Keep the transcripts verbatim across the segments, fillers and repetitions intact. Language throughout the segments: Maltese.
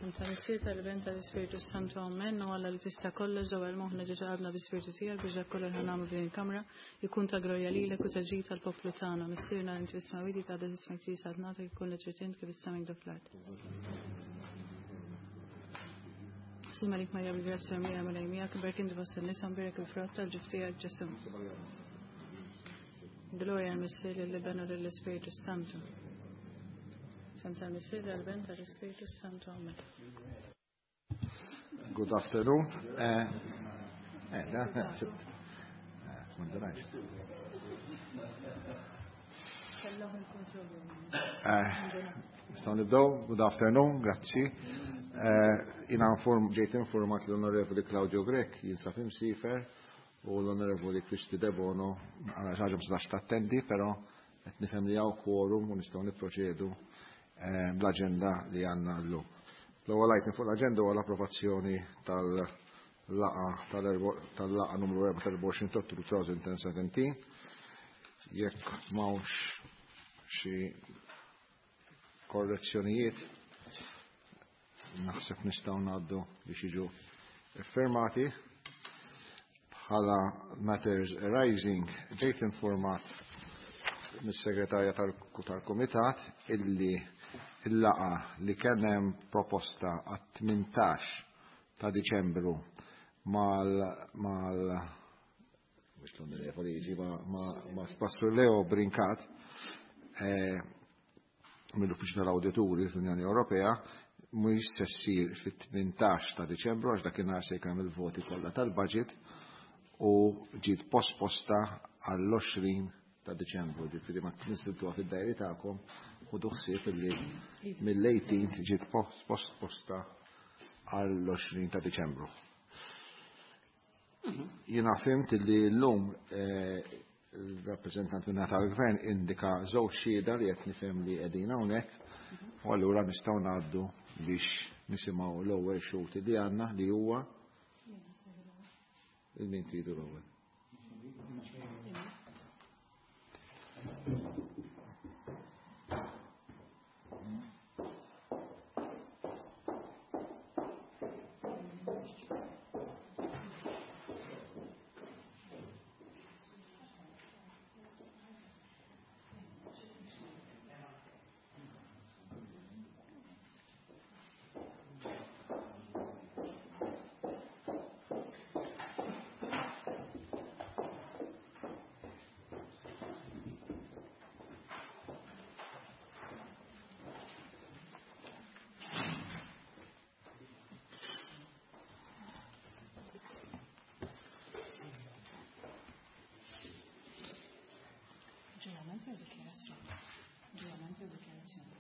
F'isem tal-Missier, tal-Iben, tal-Ispirtu Santu, Amen. U Alla li tista' kollox ġewwa l-moħħna ġeġa għadna bi-Spirtu tiegħek biex dak kollu li ħanagħmlu f'din il-kamra jkun ta' glorja lilek u ta' ġid tal-poplu tagħna. Missierna li inti fis-smewwiet jitqaddes ismek tiġi saltnatek ikun li trid int kif is-sema fl-art. Sliem għalik Marija bil-grazzja mimlija Mulej miegħek, imberka inti fost in-nisa, mbierek il-frott tal-ġuf tiegħek Ġesù. Glorja l-Missier lill-Iben u lill-Ispirtu Santu. F'isem tal-Missier, tal-Iben, tal-Ispirtu Santu. Amen. Good afternoon. Eh, eh, da, sibt. Eh, m'għandunajx. Eh, Nistgħu nibdew. Good afternoon, grazzi. Eh, Jiena inform, ġejt informat l-Onorevoli Claudio Grech jinsab imsiefer u l-Onorevoli Kristi Debono għal ħaġa ma setax tattendi, però qed nifhem li hawn quorum u nistgħu nipproċedu eh, bl-aġenda li għandna llum. L-ewwel item fuq l-aġenda huwa l-approvazzjoni tal-laqgħa tal-laqgħa numru erbgħa u Ottubru elfejn u sbatax. Jekk m'hawnx xi korrezzjonijiet, naħseb nistgħu ngħaddu biex jiġu iffirmati. Bħala matters arising, ġejt informat mis-segretarja tal-Kumitat illi il-laqgħa li kien hemm proposta għat-tmintax ta' Diċembru mal mal mhux l-onorevoli jiġi ma ma Pastor Leo Brincat eh, mill-Uffiċċju tal-Awdituri fl-Unjoni Ewropea mhux se ssir fit-tmintax ta' Diċembru għax dakinhar se jkun il-voti kollha tal-budget u ġiet posposta għall-għoxrin ta' Diċembru, ġifieri ma tniżiltuha fid-diary tagħkom, ħudu ħsieb illi mill-tmintax ġiet posposta għall-għoxrin ta' Diċembru. Jiena fhimt li llum il-rappreżentant minna tal-gvern indika żewġ xhieda li qed nifhem li qegħdin hawnhekk u allura nistgħu ngħaddu biex nisimgħu l-ewwel xhud li għandna li huwa il-min tridu l-ewwel. Ġurament jew dikjarazzjoni? Ġurament jew dikjarazzjoni?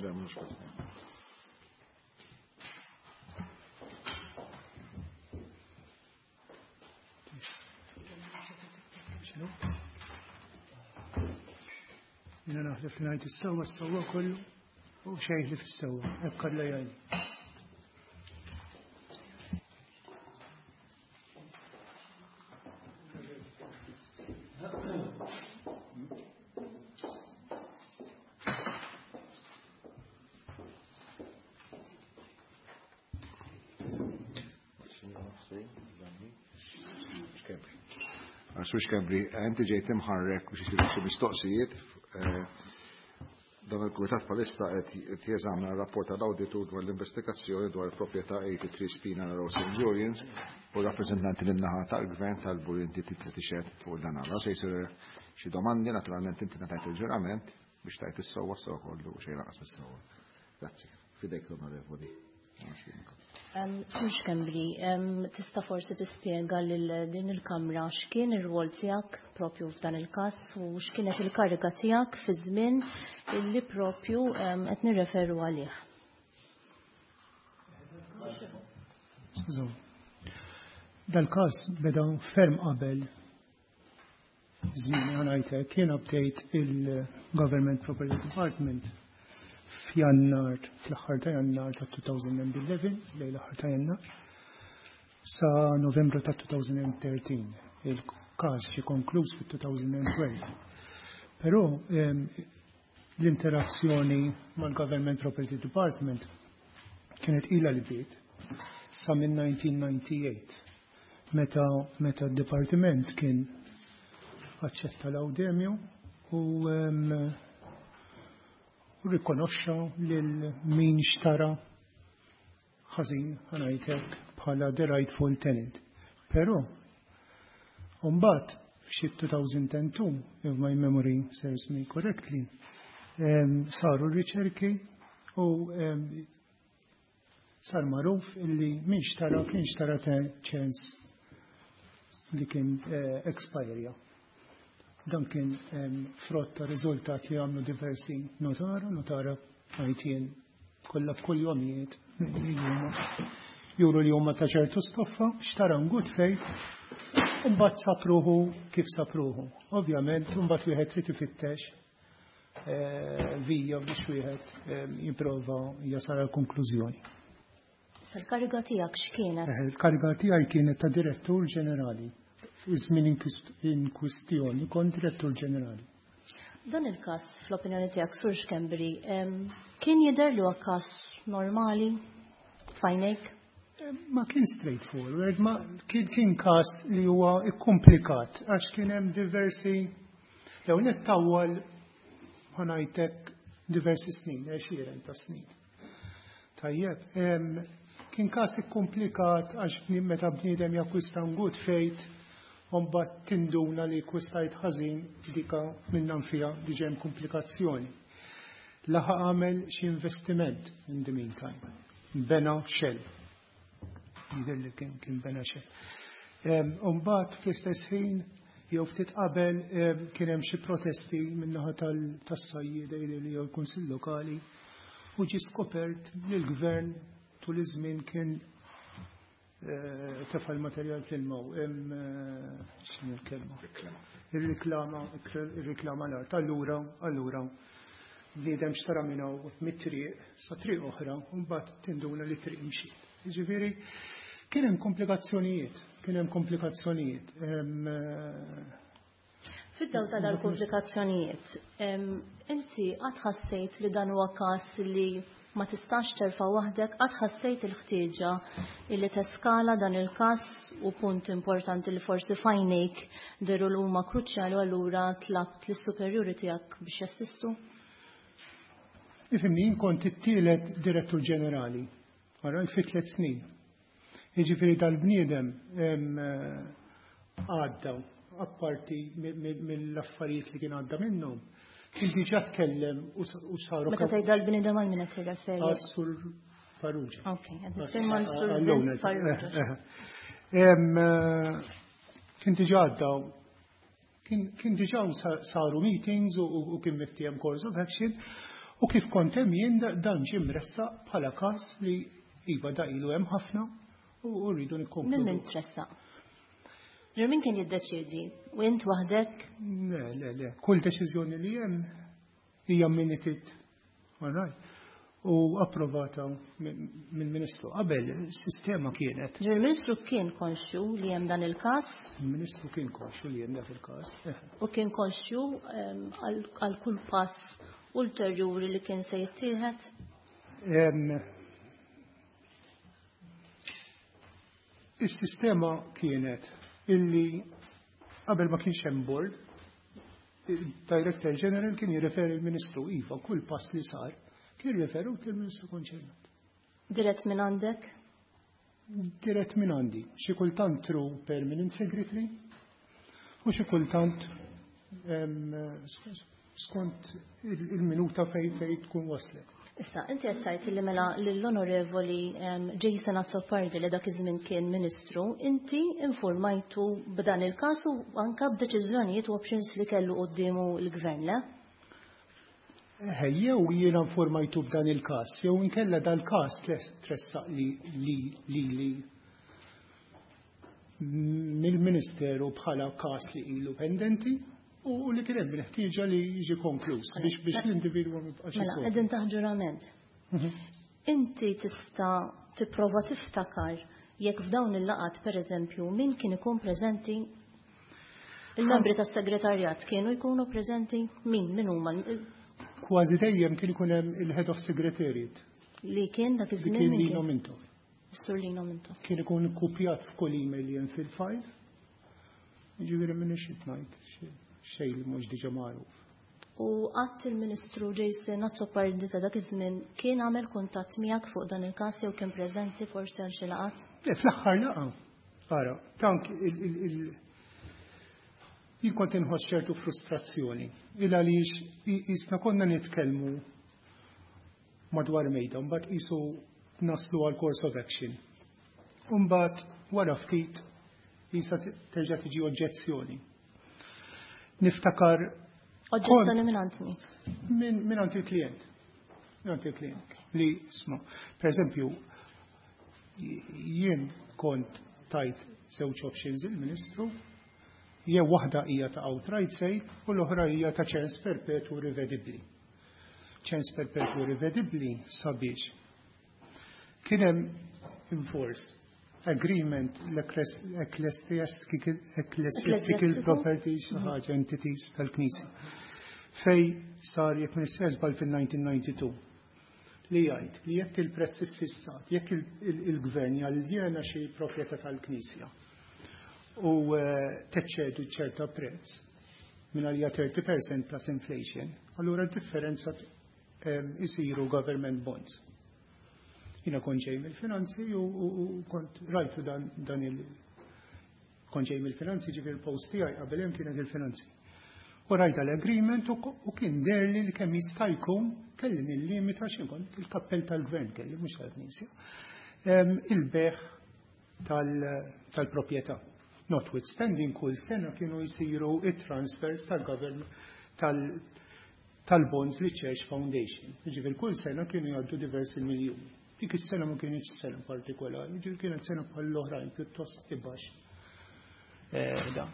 Le, mhux każ. X'inhu? Jiena naħlef li ngħid is-sewwa, s-sewwa kollu u xejn ħlief is-sewwa. Hekk kollha jgħid. Sur Schembri, inti ġejt imħarrek biex isiru xi mistoqsijiet. eh, Dan il-Kumitat palissa qed jeżamina r-rapport tal-awditur dwar l-investigazzjoni dwar il-proprjetà tminja u tletin Spina Road Saint Julians u rappreżentanti lin-naħa tal-Gvern talbu li inti titla' tixhed fuq dan għala. Se jsiru xi domandi, naturalment inti ngħatajt il-ġurament biex tgħid is-sewwa sew kollu u xejn lanqas mis-sewwa. Grazzi. Fidejk, l-Onorevoli. Sur Schembri, tista' forsi tispjega lil din il-Kamra x'kien ir-rwol tiegħek propju f'dan il-każ u x'kienet il-kariga tiegħek fi żmien illi propju qed nirreferu għalih. Skużaw. Dal-każ beda ferm qabel żmien ngħidlek, jiena bdejt il-Government Property Department f'Jannar, fl-aħħar ta' Jannar ta' elfejn u ħdax, lejn l-aħħar ta' Jannar, sa Novembru ta' elfejn u tlettax. Il-każ ġie konkluż fit-elfejn u tnax. Però l-interazzjoni mal-Government Property Department kienet ila li bdiet sa minn elf disa' mija u disgħa u tmenin meta meta d-dipartiment kien aċċetta Laudemio u u rikonoxxa lil min xtara ħażin, ħa ngħidlek, bħala the rightful tenant. Però mbagħad f'xi elfejn u tnejn, if my memory serves me correctly, saru riċerki u sar magħruf illi min xtara kien xtara ċens li kien eh, expired. Dan kien frott ta' riżultat li għamlu diversi notara, notara għajtien kollha f'kull juru li huma ta' ċertu stoffa, xtara good faith, mbagħad sapruħu kif sapruħu. Ovvjament, mbagħad wieħed trid ifittex eh, vija biex wieħed jipprova jasal għal konklużjoni. Il-kariga tiegħek x'kienet? Eh, il-kariga tiegħi kienet ta' direttur ġenerali. Iż-żmien in kwistjoni kont direttur ġenerali. Dan il-każ, fl-opinjoni tiegħek, Sur Schembri, kien jidher li huwa każ normali f'għajnejk? Ma kien straightforward, ma kien kien każ li huwa ikkomplikat għax kien hemm diversi, jew nittawwal, ħa ngħidlek, diversi snin, għexieren ta' snin. Tajjeb, kien każ ikkomplikat għax meta bniedem jakkwista good faith, mbagħad tinduna li akkwistajt ħażin, dika minnha fiha diġà hemm komplikazzjoni. Laħaq għamel xi investiment in the meantime. Bena shell. Jidher li kien kien bena shell. Mbagħad fl-istess ħin jew ftit qabel kien hemm xi protesti min-naħa tas-sajjieda li jew l-Kunsill Lokali u ġi skopert li l-gvern tul iż-żmien kien eh, tefa' l-materjal fl-ilma, x'inhu l-kelma? Ir-riklama, ir-riklama l-art. Allura, allura, bniedem xtara minn hawn mit-triq sa triq oħra u mbagħad tinduna li triq imxiet. Jiġifieri kien hemm komplikazzjonijiet, kien hemm komplikazzjonijiet. Fid-dawl ta' dal-komplikazzjonijiet, inti qatt ħassejt li dan huwa każ li ma tistax terfa' waħdek? Qatt ħassejt il-ħtieġa illi teskala dan il-każ u punt importanti li forsi f'għajnejk dehru li huma kruċjali u allura tlabt lis-superjuri tiegħek biex jassistu? Ifhimni, kont it-tielet direttur ġenerali, għara, fi tliet snin. Jiġifieri dal-bniedem għadda, apparti mill-affarijiet li kien għadda minnhom, kien diġà tkellem u saru. Meta tgħid dal-bniedem, għal min qed tirreferi? Sur Farrugia. Ok, qed nitkellem Sur Vince Farrugia. Kien diġà għadda, kien diġà saru meetings u kien miftiehem course of action u kif kont hemm jien dan ġie mressaq bħala każ li iva da ilu hemm ħafna u rridu nikkonkludu. Min min tressaq? Min kien jiddeċiedi? U int waħdek? Le, le, le. Kull deċiżjoni li hemm hija minuted. All right. U approvata mill-Ministru. Qabel is-sistema kienet. Il-Ministru kien konxju li hemm dan il-każ? Il-Ministru kien konxju li hemm dak il-każ. U kien konxju għal kull pass ulterjuri li kien se jittieħed? Is-sistema kienet illi qabel ma kienx hemm board, il-Director General kien jirreferi l-Ministru, iva, kull pass li sar kien jirreferu il-Ministru konċernat. Dirett minn għandek? Dirett minn għandi. Xi kultant through permanent secretary u xi kultant skont il-minuta fej fej tkun waslet. Issa, inti qed tgħid li mela lill-Onorevoli Jason Azzopardi, li dak iż-żmien kien Ministru, inti informajtu b'dan il-każ u anka b'deċiżjonijiet u options li kellu quddiemu l-gvern, le? Jew jiena informajtu b'dan il-każ, jew inkella dal-każ tressaq li li li li mill-Ministeru bħala każ li ilu pendenti u li kien hemm ħtieġa li jiġi konkluż biex biex l-individwu ma jibqax. Mela, qegħdin taħt ġurament. Mhm. Inti tista' tipprova tiftakar jekk f'dawn il-laqat, pereżempju, min kien ikun preżenti? Il-membri tas-segretarjat kienu jkunu preżenti? Min min huma? Kważi dejjem kien ikun hemm il-head of secretariat. Li kien dak Li iż-żmien kien min Lino kien? Mintoff. Sur Lino Mintoff. Kien ikun kopjat f'kull email li hemm fil-file. Ġifieri m'iniex ngħid xejn li mhux diġà magħruf. U qatt il-Ministru Jason Azzopardi ta' dak iż-żmien kien għamel kuntatt miegħek fuq dan il-każ jew kien preżenti forsi għal xi laqgħat? Le, fl-aħħar laqgħa. Ara, tank il- il- il- jien kont inħoss ċertu frustrazzjoni. Il għaliex jisna konna nitkellmu madwar mejda, mbagħad qisu naslu għal course of action. Mbagħad wara ftit jisa terġa' tiġi oġġezzjoni. Niftakar Oġġezzjoni minn għand min? minn min għand il-klient. Minn għand il-klient. Li isma', per eżempju, jien kont tajt żewġ options il-Ministru, jew waħda hija ta' outright sale u l-oħra hija ta' ċens perpetu rivedibbli. Ċens perpetu rivedibbli sabiex kien hemm in force agreement l-ecclesiastical ecclesiastical properties, ħaġa entities tal-Knisja. Fej sar, jekk m'iniex żball, fil-elf disa' mija u disgħa u disgħin li jgħid li jekk il-prezz iffissat, jekk il-gvern jaljena xi proprjetà tal-Knisja u eh, teċċedu ċerta prezz minn għalija thirty percent plus inflation, allura d-differenza isiru government bonds. Jiena kont ġej mill-finanzi u, u, u kont rajtu dan, dan il- kont ġej mill-finanzi, ġifieri post tiegħi qabel hemm kienet il-finanzi. U rajta l-agreement u, u kien derli li kemm jista' jkun kelli nillimita, xi kont il-kappell tal-gvern kelli, mhux tal-Knisja. Il-bejgħ tal-proprjetà. Notwithstanding kull sena kienu jisiru it-transfers tal-government tal-bonds li Church Foundation. Ġifieri kull sena kienu jgħaddu diversi miljuni. Dik is-sena ma kienx sena partikolari, ġifieri kienet sena bħal l-oħrajn pjuttost ibax. Eh, da.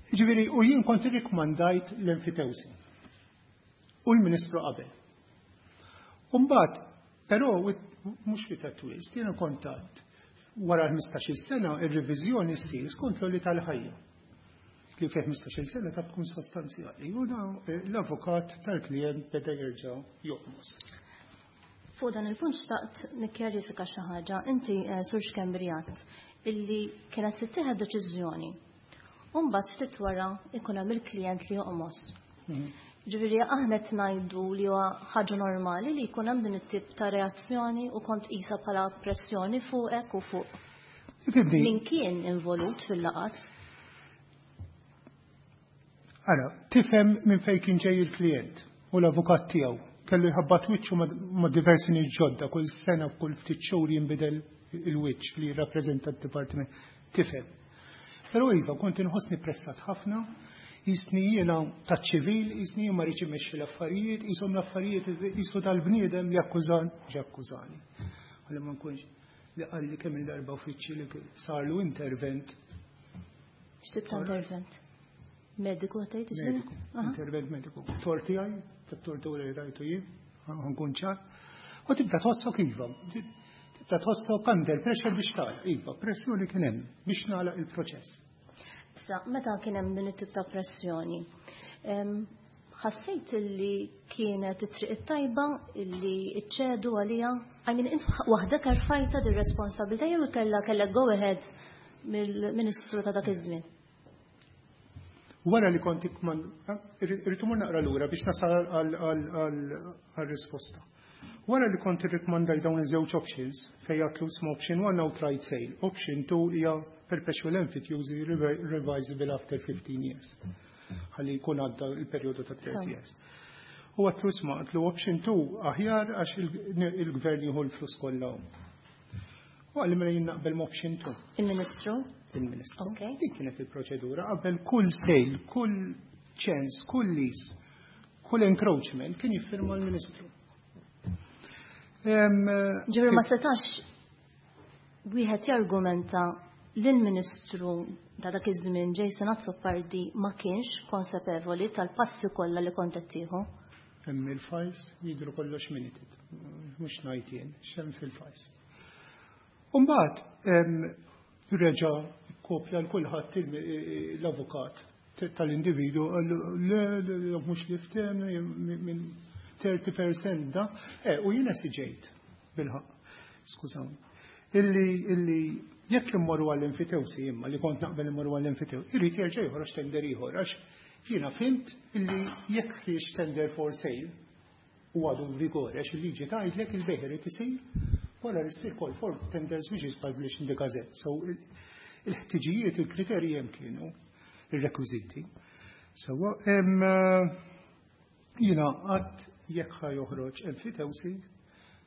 Ġifieri, u jien kont irrikmandajt l-enfitewsi. U l-Ministru qabel. Umbagħad, però mhux fi ta' twist, jiena kontat wara ħmistax-il sena ir-reviżjoni ssir skont l tal-ħajja. Li fi ħmistax-il sena ta' tkun sostanzjali. U eh, l-avukat tal-klient beda jerġa' joqmos. Fuq dan il-punt xtaqt nikkjarifika xi ħaġa. Inti, eh, Sur Schembri, illi kienet tittieħed deċiżjoni. U mbagħad ftit wara ikun hemm il-klient li joqmos. Mhm. Ġifieri aħna qed ngħidu li huwa ħaġa normali li jkun hemm din it-tip ta' reazzjoni u kont qisha bħala pressjoni fuqek u fuq min kien involut fil-laqat? Ara, tifhem minn fejn kien ġej il-klient u l-avukat tiegħu. Kellu jħabbat wiċċu ma' diversi nies ġodda, kull sena, kull ftit xhur jinbidel il-wiċċ li jirrappreżenta d-dipartiment. Tifhem. Però iva, kont inħossni pressat ħafna, jisni jiena taċ-ċivil, jisni ma rridx immexxi l-affarijiet, jisom l-affarijiet jisu tal-bniedem li akkużan, ġi akkużani. Għalli ma nkunx li qalli kemm il-darba uffiċċji li sarlu intervent. X'tip ta' intervent? Mediku għatajt? Mediku, intervent mediku. Torti għaj, tat-tortura li rajtu jien, nkun ċar. U tibda tħossok iva, tibda tħossok under pressure biex tagħlaq, iva, pressjoni kien hemm biex nagħlaq il-proċess. Issa, meta kien hemm din it-tip ta' pressjoni, ħassejt illi kienet it-triq it-tajba illi iċċedu għalija? I mean, int waħdek erfajta dir responsabilità jew kellha kellek go ahead mill-Ministru ta' dak iż-żmien? Wara li kont irrid imur naqra lura biex nasal għal-risposta. Wara li kont irrikmandaj dawn iż-żewġ options, fejn għatlu sma option one outright sale, option two hija perpetual emphyteusis revisable after fifteen years. Ħalli jkun għadda il-perjodu ta' thirty years. U għatlu sma, għatlu option two aħjar għax il-gvern jieħu l-flus kollha. U għalli mela jien naqbel option two. Il-Ministru? Il-Ministru. Dik kienet il-proċedura qabel kull sale, kull ċens, kull lease, kull encroachment kien jiffirma l-Ministru. Ġifieri ma setax wieħed jargumenta lill-Ministru ta' dak iż-żmien Jason Azzopardi ma kienx konsapevoli tal-passi kollha li kont qed tieħu? Hemm il-files jidru kollox minuted, mhux ngħid jien, x'hemm fil-files. Umbagħad reġa' kopja l kulħadd l-avukat. tal-individu, le, le, mhux li ftehemna minn thirty percent da. Eh, u jiena siġejt bil-ħaqq, skużawni. Illi, illi jekk immorru għall-enfitewsi imma li kont naqbel immorru għall-enfitewsi, irid jerġa' joħroġ tender ieħor għax jiena fhimt illi jekk ħrieġ tender for sale u għadu vigore għax il-liġi tgħidlek il-bejħ irid isir wara li ssir call for tenders which is published in the Gazette. So il-ħtiġijiet, il-kriterji hemm kienu, il-rekwiżiti. So, jiena għad jekk ħa joħroġ enfitewsi,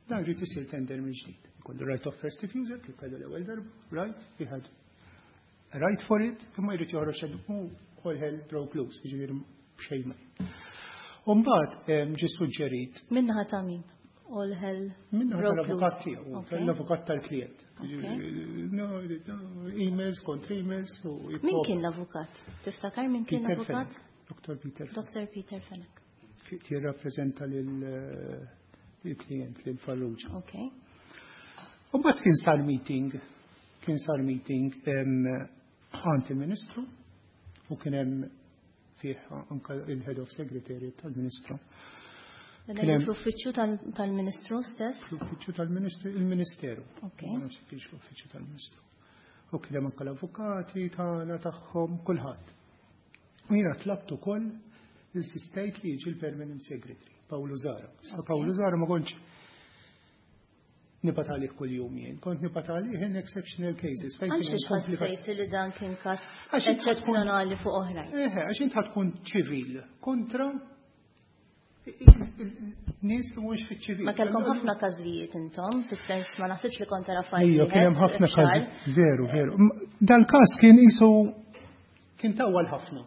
dan irid isir tender mill-ġdid. Ikollu right of first refusal, kif kellu l-ewwel darba, right, he had a right for it, imma jrid joħroġ u all hell broke loose, jiġifieri xejn ma. U mbagħad ġie suġġerit. Min-naħa ta' min? All hell Minnaħa broke tal-avukat loose. tiegħu, Okay. tal-avukat tal-klient. Emails kontra emails u Min kien l-avukat? Tiftakar min kien Peter l-avukat? Fenech. Doctor Peter Fenech. Doctor Peter Fenech. Jirrappreżenta lil-klient, lil Farrugia. Ok. U mbagħad kien sar meeting, kien sar meeting għand il-Ministru u kien hemm fih anka il-Head of Secretariat tal-Ministru. Dan Kien hemm fl-uffiċċju tal-Ministru stess? Fl-uffiċċju tal-Ministru, il-Ministeru. Ok. Ma nafx kienx l-uffiċċju tal-Ministru. U kien hemm anke l-avukati tagħna tagħhom kulħadd. U jiena tlabt ukoll insistejt li jiġi l-Permanent Secretary, Paolo Zahra. Sa Paolo Zahra ma kontx nibgħat għalih kull jum jien, kont nibgħat għalih in exceptional cases. Fejn Għalx kien hemm komplikazzjoni. ħassejt li dan kien każ Għax int tkun- eċċezzjonali fuq oħrajn? Eħe, għax int tkun ċivil kontra nies li mhux fiċ-ċivil. Ma kellkom ħafna każijiet intom, fis-sens ma naħsibx li kont tara fajl. Ejja, kien hemm ħafna każi. Veru, veru. M- Dal-każ kien qisu kien tawwal ħafna.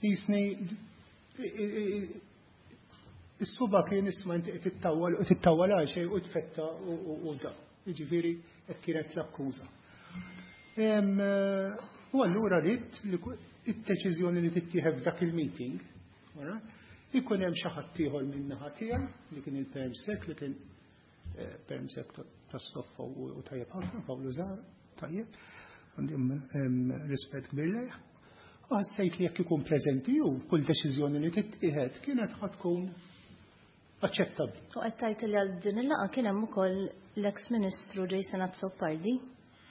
Jisni is-suba kien isma' inti qed tittawwal u tittawwal għal xejn u tfetta u- u u da. Jiġifieri hekk kienet l-akkuża. Em, eh, U allura rrid li ku- id-deċiżjoni li tittieħed f'dak il-meeting, ora, ikun hemm xi ħadd ieħor min-naħa tiegħi li kien il-permsec li kien eh, permsec ta' ta' stoffa u u tajjeb ħafna, Paolo Zahra, tajjeb, għandi em, rispett kbir lejh. U ħassejt li jekk ikun preżenti u kull deċiżjoni li tittieħed kienet ħa tkun aċċettabbli. U qed tgħid li għal din il-laqgħa kien hemm ukoll l-eks Ministru Jason Azzopardi.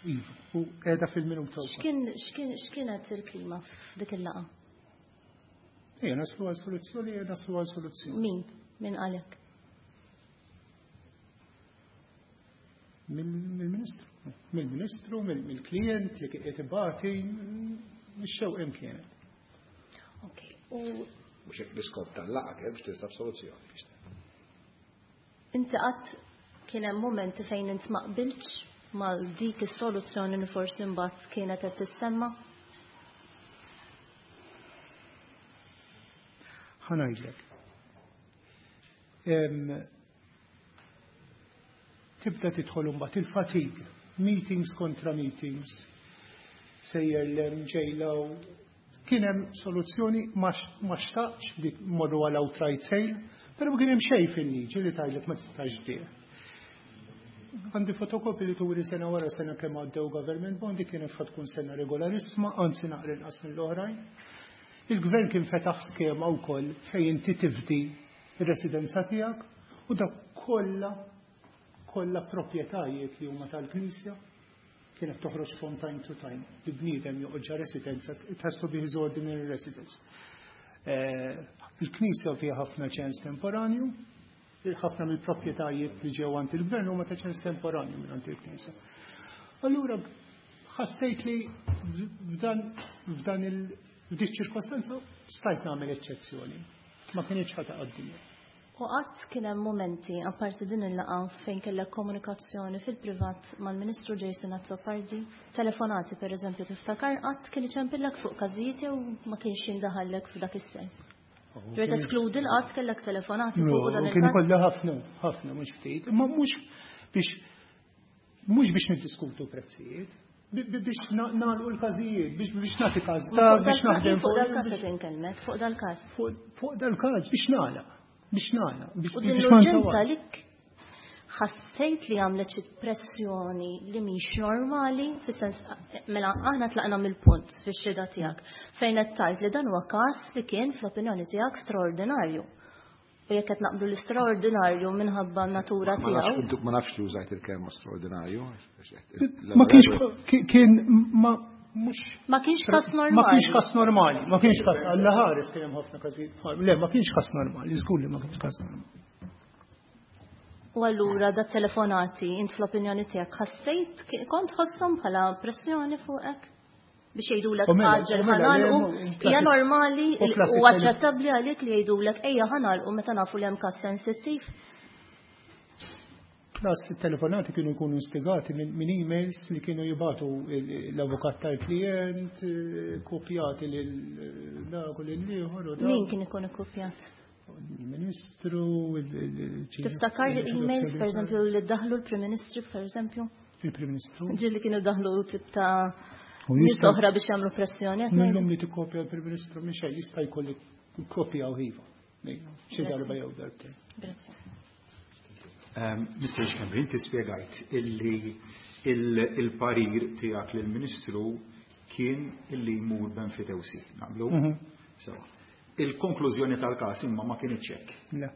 Iva, u qiegħda fil-minuta wkoll. X'kien x'kien x'kienet il-klima f'dik il-laqgħa? Ejja, naslu għal soluzzjoni, ejja naslu għal soluzzjoni. Min? Min qalek? Mill-Ministru. Mill-Ministru, mill-klient li kien qed ibati, mix-xewq hemm kienet. Ok. U Mhux hekk l-iskop tal-laqgħa kien biex tinsab soluzzjoni. inti qatt kien hemm momenti fejn int ma qbiltx mal dik is-soluzzjoni li forsi mbagħad kienet qed tissemma? Ħa ngħidlek. Em, Tibda tidħol imbagħad il-fatigue, meetings kontra meetings, sejjer l ġejla u kien hemm soluzzjoni ma x- ma xtaqx li morru għal outright sale, però ma kien hemm xejn fil-liġi li tgħidlek ma tistax tbigħ. Għandi fotokopi li turi sena wara sena kemm għaddew government bond, dik kienet ħa tkun sena regolarissima, anzi naqra inqas mill-oħrajn. Il-gvern kien fetaħ skema wkoll fejn inti tifdi ir-residenza tiegħek u dak kollha kollha proprjetajiet li huma tal-Knisja kienet toħroġ from time to time. Li bniedem joqgħod ġa residenza, it has to be his ordinary residence. Eh, Il-Knisja fiha ħafna ċens temporanju, ħafna mill-proprjetajiet li ġew għand il-gvern huma ta' ċens temporanju minn għand il-Knisja. Allura ħassejt li f'dan f'dan il f'dik ċirkostanza stajt nagħmel eċċezzjoni. Ma kienx ħa taqaddimja. U qatt kien hemm momenti apparti din il-laqgħa fejn kellek komunikazzjoni fil-privat mal-Ministru Jason Azzopardi, telefonati pereżempju tiftakar qatt kien iċempillek fuq każijiet jew ma kienx jindaħallek f'dak is-sens. Ġifieri teskludi l-qatt kellek telefonati fuq dan Kien il-każ. ikollha ħafna, ħafna mhux ftit, imma mhux biex mhux biex niddiskutu prezzijiet, bi- bi- biex na- nagħlqu l-każijiet, biex biex nagħti każ ta' Fuq biex dal- naħdem Fuq dal-każ qed inkellmek, fuq dal-każ. fuq fuq dal-każ biex nagħlaq, biex nagħlaq, biex U din biex ma l-urġenza ntawalx. lik Tgħid li għamlet xi pressjoni li mhix normali, fis-sens mela aħna tlaqna mill-punt fix-xhieda tiegħek fejn qed tgħid li dan huwa każ li kien fl-opinjoni tiegħek straordinarju. U jekk qed naqblu l-istraordinarju minħabba natura tiegħu. Ma nafx li użajt il-kelma straordinarju. Ma kienx kien ma mhux Ma kienx każ normali. Ma kienx każ normali, ma kienx każ Alla ħares kien hemm ħafna każijiet. Le, ma kienx każ normali, żgur li ma kienx każ normali. U allura da telefonati, int fl-opinjoni tiegħek ħassejt kont tħosshom bħala pressjoni fuqek? Biex jgħidulek għaġġel ħa nagħlqu, hija normali u aċċettabbli għalik li jgħidulek ejja ħa nagħlqu meta nafu li hemm każ sensittiv? Plus telefonati kienu jkunu instigati minn emails li kienu jibagħtu l-avukat tal-klient, kopjati lil dak u lil ieħor. Min kien ikun ikkopjat? Il-Ministru, Tiftakar emails, per eżempju, li daħlu l-Prim Ministru, per eżempju? Il-Prim Ministru. Ġieli kienu daħlu tip ta' nies oħra biex jagħmlu pressjoni. Minnhom li tikkopja l-Prim Ministru minn xejn jista' jkolli kopja u iva. Xi darba jew darbtejn. Grazie. Mister Schembri, inti spjegajt illi il-parir tiegħek lill-Ministru kien illi jmur b'enfitewsi, naqblu? Sewa. Il-konklużjoni tal-każ imma ma kienx hekk. Le.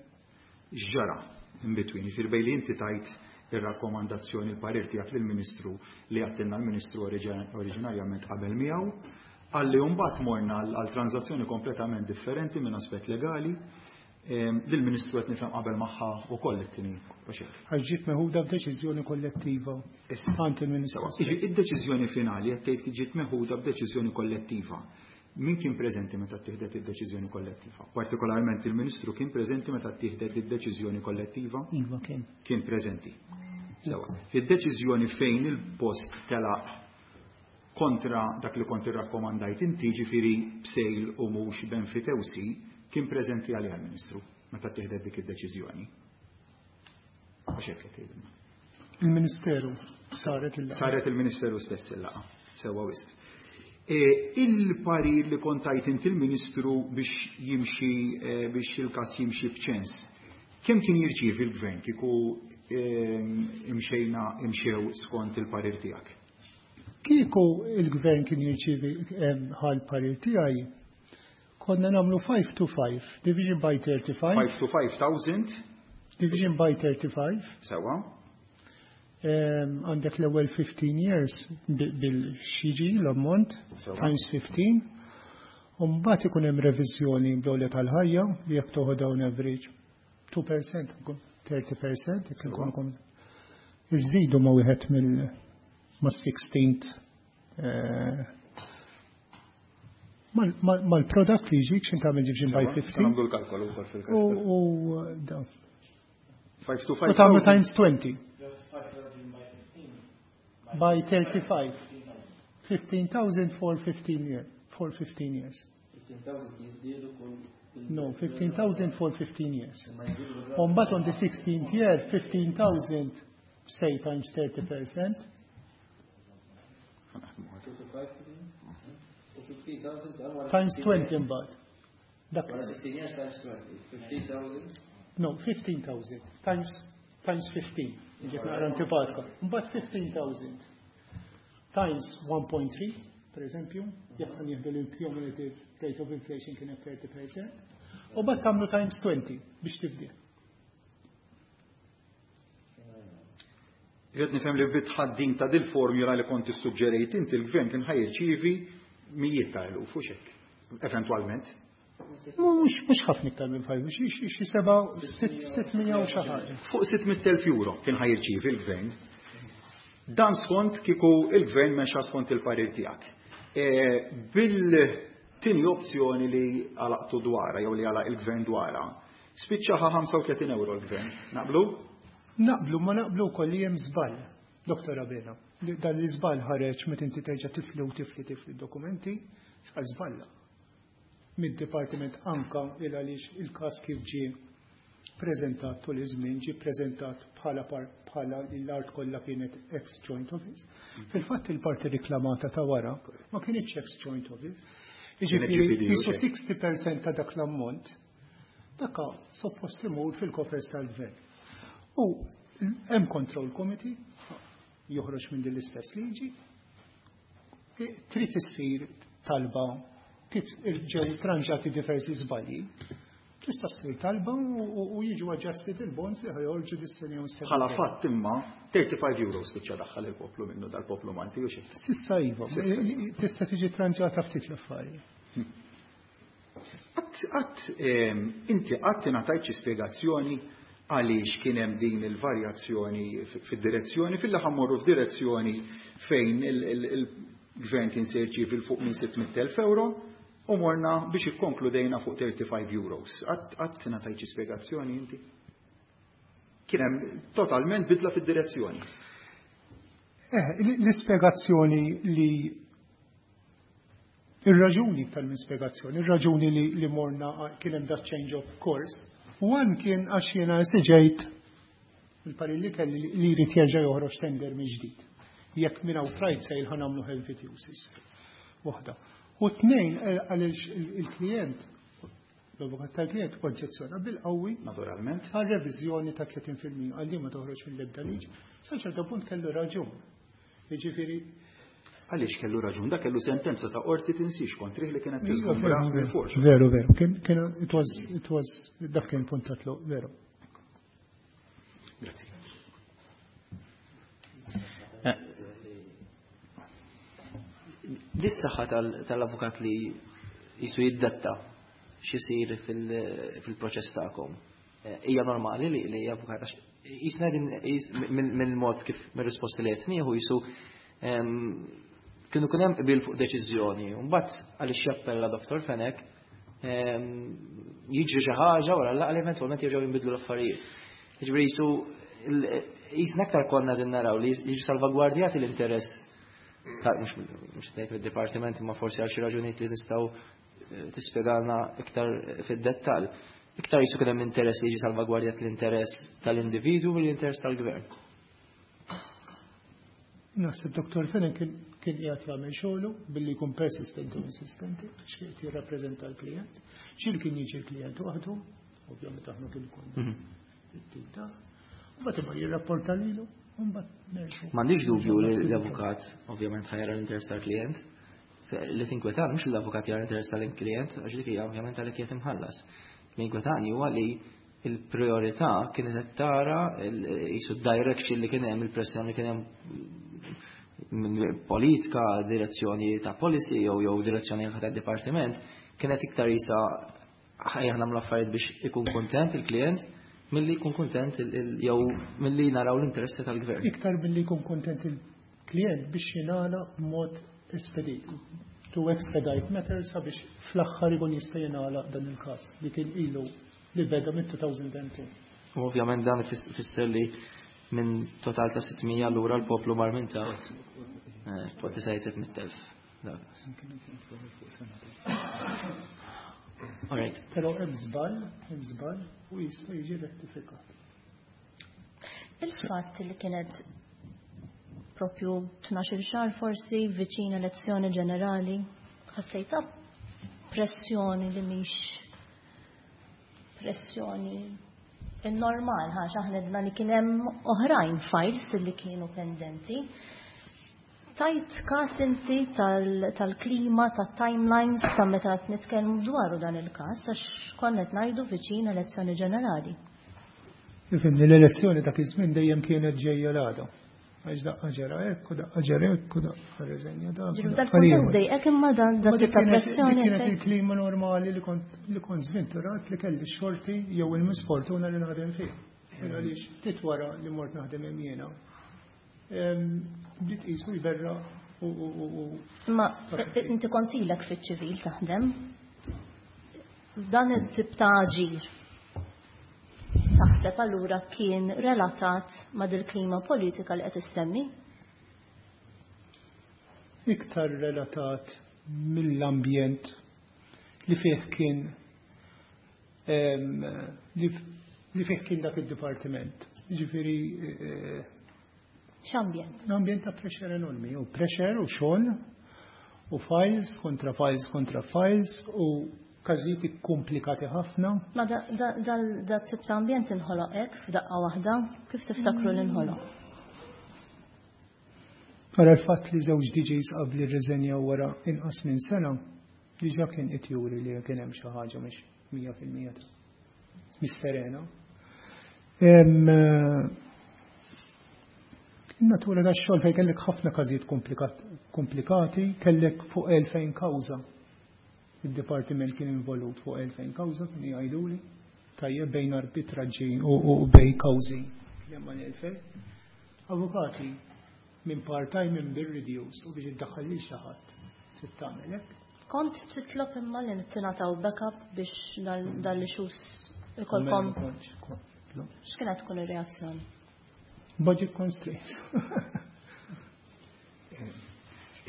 X'ġara in between, jiġifieri bejn li inti tajt ir-rakkomandazzjoni l-parir tiegħek lill-Ministru li għattilna l-Ministru oriġinarjament qabel miegħu, għalli mbagħad morna għal tranżazzjoni kompletament differenti minn aspett legali, lill-Ministru qed nifhem qabel magħha wkoll it-tieni għax hekk. Għax ġiet meħuda b'deċiżjoni kollettiva. Għand il-Ministru. Jiġifieri id-deċiżjoni finali qed tgħid li ġiet meħuda b'deċiżjoni kollettiva. Min kien preżenti meta ttieħdet id-deċiżjoni kollettiva? Partikolarment il-Ministru kien preżenti meta ttieħdet id-deċiżjoni kollettiva? Iva kien. Kien preżenti. Sewa. Id-deċiżjoni fejn il-post telaq kontra dak li kont irrakkomandajt inti, ġifieri b'sejl u mhux b'enfitewsi, kien preżenti għalija l-Ministru meta ttieħdet dik id-deċiżjoni. Għax hekk qed tgħidilna. Il-Ministeru saret il-laqgħa. Saret il-Ministeru stess il-laqgħa. Sewa wisq. Il-parir li kont tajt inti l-Ministru biex jimxi biex il-każ jimxi b'ċens. Kemm kien jirċievi l-Gvern kieku imxejna imxew skont il-parir tiegħek? Kieku il-Gvern kien jirċievi ħal parir tiegħi, konna nagħmlu five to five, division by thirty-five. five to five thousand. Division by thirty-five. Sewa. Għandek l-ewwel fifteen years bil-xiġi l-ammont times fifteen. U mbagħad ikun hemm reviżjoni bl-għolja tal-ħajja li jekk toħod dawn average two percent, thirty percent, jekk ikun ikun iżidu ma' wieħed mill ma' sixteenth mal-product li jiġik x'int tagħmel division by fifteen. Nagħmlu l-kalkolu wkoll fil-każ. U dawn. Five to five. U tagħmlu times twenty. By thirty-five. fifteen thousand for fifteen years. For fifteen years. No, fifteen thousand for fifteen years. On but on the sixteenth year, fifteen thousand, say, times thirty percent. Times twenty mbagħad. Dak. sixteen years times twenty. fifteen thousand? No, fifteen thousand times times fifteen. Ġiet naqra antipatika. Mbagħad fifteen thousand times one point three, per eżempju, jekk ħa nieħdu l-cumulative rate of inflation kienet thirty percent, u mbagħad tagħmlu times twenty biex tifdi. Qed nifhem li bitħaddin ta' dil-formula li kont issuġġerejt inti l-gvern kien ħajrċievi mijiet ta' eluf u xek, eventwalment. Mhux mhux ħafna iktar minn five, xi xi seba' sitt mija u xi ħaġa. Fuq sitt mitt elf euro kien ħajrċievi l-gvern. Dan skont kieku il-gvern mexa skont il-parir tiegħek. Bil-tieni opzjoni li għalaqtu dwarha jew li għalaq il-gvern dwarha, spiċċaħa ħamsa u tletin euro l-gvern. Naqblu? Naqblu, ma naqblu wkoll li hemm żball, Doktor Abela. Dan l-iżball ħareġ meta inti terġa' tifli u tifli tifli d-dokumenti, sar żballa. Mid-dipartiment anka il għaliex il-każ kif ġie preżentat tul iż-żmien ġie preżentat bħala bħala l-art kollha kienet ex joint office. Fil-fatt il-parti riklamata ta' wara ma kienx ex joint office. Jiġifieri jisu sixty percent ta' dak l-ammont daka suppost imur fil-kofers tal-gvern. U Hemm control committee joħroġ minn din l-istess liġi. Trid issir talba kif ġew tranġati diversi żbalji. Tista' ssir talba u jiġu adjusted il-bonds li ħajorġu dis-sena jew sena. Bħala fatt imma thirty-five euros spiċċa daħħal il-poplu minnu dal-poplu Malti u xi. S'issa iva, tista' tiġi tranġata ftit l-affarijiet. Qatt inti qatt ingħatajt xi spjegazzjoni għaliex kien hemm din il-varjazzjoni fid-direzzjoni fil ħa mmorru f'direzzjoni fejn il-gvern kien se jirċievi fuq minn sitt mitt elf euro u morna biex ikkonkludejna fuq thirty-five euros? Qatt ingħatajt xi spjegazzjoni inti? Kien hemm totalment bidla fid-direzzjoni. Eh, l-ispjegazzjoni li Ir-raġuni tal-mispjegazzjoni, ir-raġuni li, li morna kien hemm that change of course, one kien għax jiena esiġejt il-parir li kelli li jrid jerġa' joħroġ tender minn ġdid. Jekk minn outright sale ħa nagħmlu emphyteusis. Waħda. U tnejn, għaliex il-klient, l-avukat tal-klient oġġezzjona bil-qawwi Naturalment. għal reviżjoni ta' tletin fil-mija, għal ma toħroġ mill-ebda liġi. Sa ċerta punt kellu raġun. Jiġifieri Għaliex kellu raġun? Da kellu sentenza ta' qorti, tinsix, kontrih li kienet tiżgumbra mill-force. Veru, veru. Kien, kien, it was, it was, dak kien punt ta' tluq, veru. Grazzi. Eh. Dis-saħħa tal-avukat li jisu jiddetta x'isir fil-proċess tagħkom. Eh, hija normali li li avukat, għax jisna din minn mod kif mir-risposti li qed nieħu jisu kienu kien hemm qbil fuq deċiżjoni, u mbagħad għaliex jappella Doktor Fenech jiġri xi ħaġa wara laqgħa li eventwalment jerġgħu jinbidlu l-affarijiet. Jiġifieri jisu jisna aktar konna din naraw li jiġu salvagwardjati l-interess ta' mhux mhux ngħid mid-dipartiment, imma forsi għal xi raġunijiet li tistgħu eh, tispjegalna iktar fid-dettall. Iktar jisu kien hemm interess li jiġi salvagwardjat l-interess tal-individwu u l-interess tal-gvern. Naħseb Doktor Fenech kien kien qiegħed jagħmel xogħlu billi jkun persistenti u insistenti għax kien qed jirrappreżenta l-klijent. Xil kien jiġi l-klijent waħdu, ovvjament aħna kien ikun Mhm. it-tim ta' Mbagħad imur jirrapporta lilu, u mbagħad nerġgħu. M'għandix dubju li l-avukat ovvjament ħa jara l-interess tal-klient. Li tinkwetan mhux l-avukat jara l-interess tal-klient, għax dik hija ovvjament għalhekk qiegħed imħallas. Li jinkwetani huwa li il-priorità kienet qed tara jisu direction li kien hemm, il-pressjoni li kien hemm minn politika, direzzjoni ta' policy jew jew direzzjoni ta' dipartiment kienet iktar jisa ħajja nagħmlu affarijiet biex ikun kontent il-klient milli jkun kontent jew milli naraw l-interessi tal-gvern. Iktar milli jkun kontent il-klient biex jingħalaq b'mod espedit. To expedite matters sabiex fl-aħħar ikun jista' jingħalaq dan il-każ li kien ilu li beda mit-elfejn u tnejn. U ovvjament dan ifisser li minn total ta' sitt mija lura l-poplu mar minn taħt sitt mitt elf. All right. Però hemm żball, hemm żball u jista' jiġi rettifikat. Il-fatt li kienet propju tnax-il xahar forsi viċin elezzjoni ġenerali, ħassejta pressjoni li mhix pressjoni normal, għax aħna għedna li kien hemm oħrajn files li kienu pendenti. Tajt kas inti tal-klima, tal-timelines, ta' meta qed nitkellmu dwaru dan il-każ, għax konna qed ngħidu viċin elezzjoni ġenerali. Ifhimni, l-elezzjoni dak iż-żmien dejjem kienet ġejja l-għada. Għax daqqa ġara hekk u daqqa ġara hekk u daqqa reżenja dak. Ġifieri dal-kuntest dejqek imma dan Ma dak dik ta' kienet pressjoni dik kienet il-klima normali li kont li kont żventurat li kelli xorti jew il-misfortuna li naħdem fih. Għaliex ftit wara li mort naħdem hemm jiena, bdiet qisu jberra u u u u Imma inti kont ilek fiċ-ċivil taħdem. Dan it-tip ta' aġir taħseb allura kien relatat ma' dil-klima politika li qed issemmi? Iktar relatat mill-ambjent li fih kien em, li, li fih kien dak id-dipartiment. Ġifieri eh, X'ambjent? Ambjent ta' pressure enormi, u pressure u xogħol u files kontra files kontra files u Każijiet komplikati ħafna. Ma da tip ta' ambjent inħoloq hekk f'daqqa waħda, kif tiftakru li nħoloq? Wara l-fatt li żewġ D Js qabli rriżenjaw wara inqas minn sena, diġà kien qed juri li kien hemm xi ħaġa mhix mija fil-mija mis-serena. In-natura tax-xogħol fejn kellek ħafna każijiet komplikati, kellek fuq elfejn kawża. Il-dipartiment kien involut fuq elfejn kawża, kien jgħiduli, tajjeb bejn arbitraġġi u bejn kawżi. Kien hemm mal-elfejn. Avukati minn part-time minn bir-reduce u biex iddaħħal lil xi ħadd trid tagħmel hekk. Kont titlob imma li tingħataw backup biex dal-issues ikolkom. X'kienet tkun ir-reazzjoni? Budget constraints.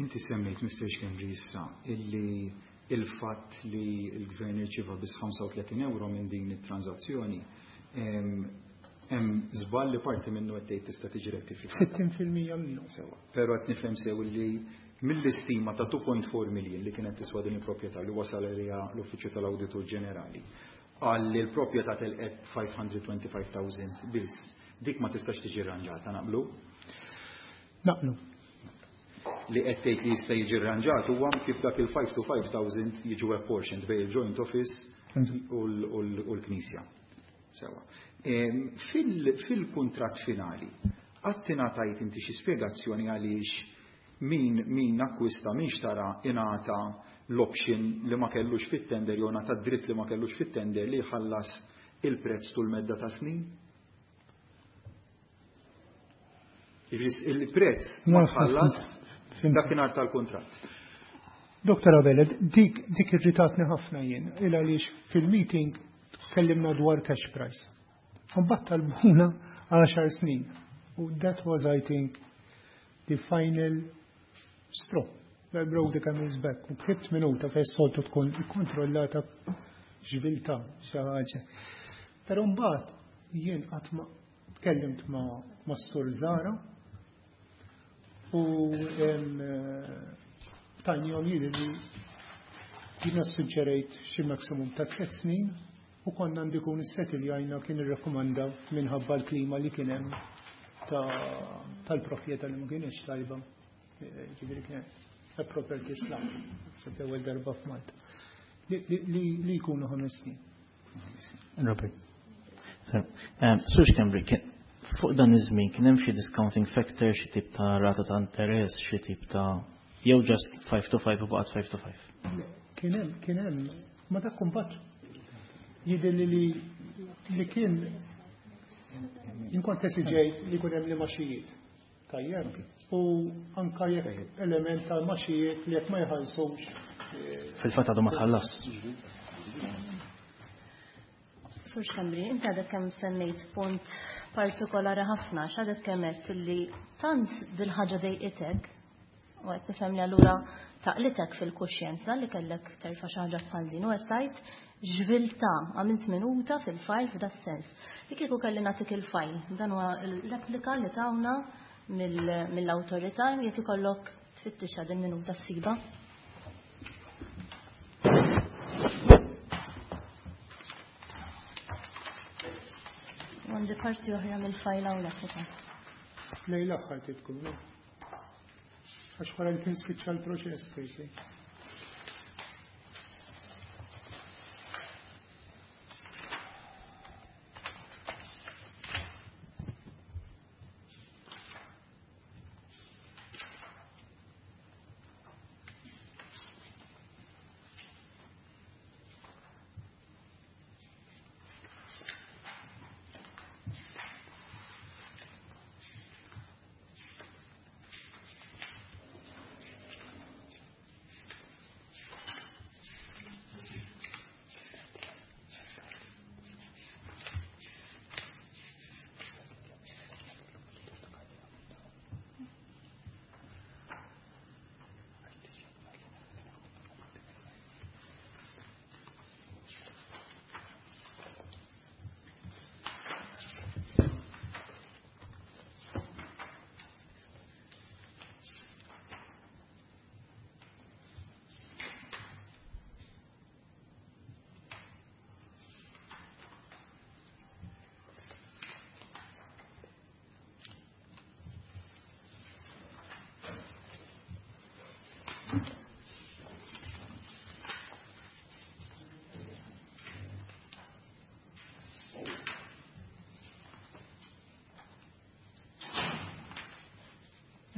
Inti semmejt, Mister Schembri, issa illi il-fatt li l-gvern irċieva biss ħamsa u tletin euro minn din it-transazzjoni hemm żball li parti minnu qed tgħid tista' tiġi rettifikata. Sittin fil-mija minnu. Sewa. Però qed nifhem sew li mill-istima ta' two point four million li kienet tiswa din il-proprjetà li wasal għaliha l-Uffiċċju tal-Awditur Ġenerali, qal li l-proprjetà telqet five hundred twenty-five thousand biss, dik ma tistax tiġi rranġata, naqblu? Naqblu. Li qed tgħid li jista' jiġi rranġat huwa kif dak il-five to five thousand jiġu apportioned bejn il-joint office u l-Knisja. Sewa. Fil-kuntratt finali, qatt ingħatajt inti xi spjegazzjoni għaliex min, min akkwista, min xtara ingħata l-option li ma kellux fit-tender jew ngħata dritt li ma kellux fit-tender li jħallas il-prezz tul medda ta' snin? Il-prezz ma tħallas dakinhar tal-kuntratt. Doktor Abela, dik dik irritatni ħafna jien, il għaliex fil-meeting tkellimna dwar cash price. Mbagħad talbuna għaxar snin. U that was, I think, the final straw that broke the camel's back. U ktibt minuta fejn soltu tkun ikkontrollata ġviltà xi ħaġa. Però mbagħad jien qatt ma tkellimt ma' Sur Zara u tajnihom jidher li jiena suġġerejt xi maximum ta' tliet snin u konna ndikun is-settiljajna kien irrakkomanda minħabba l-klima li kien hemm tal-proprjetà li ma kienx tajba. Ġifieri kien a property slum, se ewwel darba f'Malta. Li jkunu ħames snin. Robert. Sur Schembri, fuq dan iż-żmien kien hemm xi discounting factor, xi tip ta' rata ta' interess, xi tip ta' jew just five to five u baqgħet five to five? Kien hemm, kien hemm, ma dak kumbat jidher li li kien inkont esiġejt li jkun hemm li maxijiet. Tajjeb. U anka jekk element ta' maxijiet li jekk ma jħallsux. Fil-fatt għadu ma tħallas. Sur Schembri, inti għadek kemm semmejt punt partikolari ħafna, x'għadek kemm għedt li tant dil-ħaġa dejqitek, u qed nifhem li allura taqlitek fil-kuxjenza li kellek terfa' xi ħaġa bħal din, u qed tgħid ġviltà, għamilt minuta fil-fajl f'da sens. Li kieku kelli nagħtik il-fajl, dan huwa l-replika li tawna mill-awtorità, jekk ikollok tfittixha din minuta ssiba. Għandi parti oħra mill-fajl hawnhekk ukoll. Lejn l-aħħar tkun, no? Għax wara li kien spiċċa l-proċess tgħidli.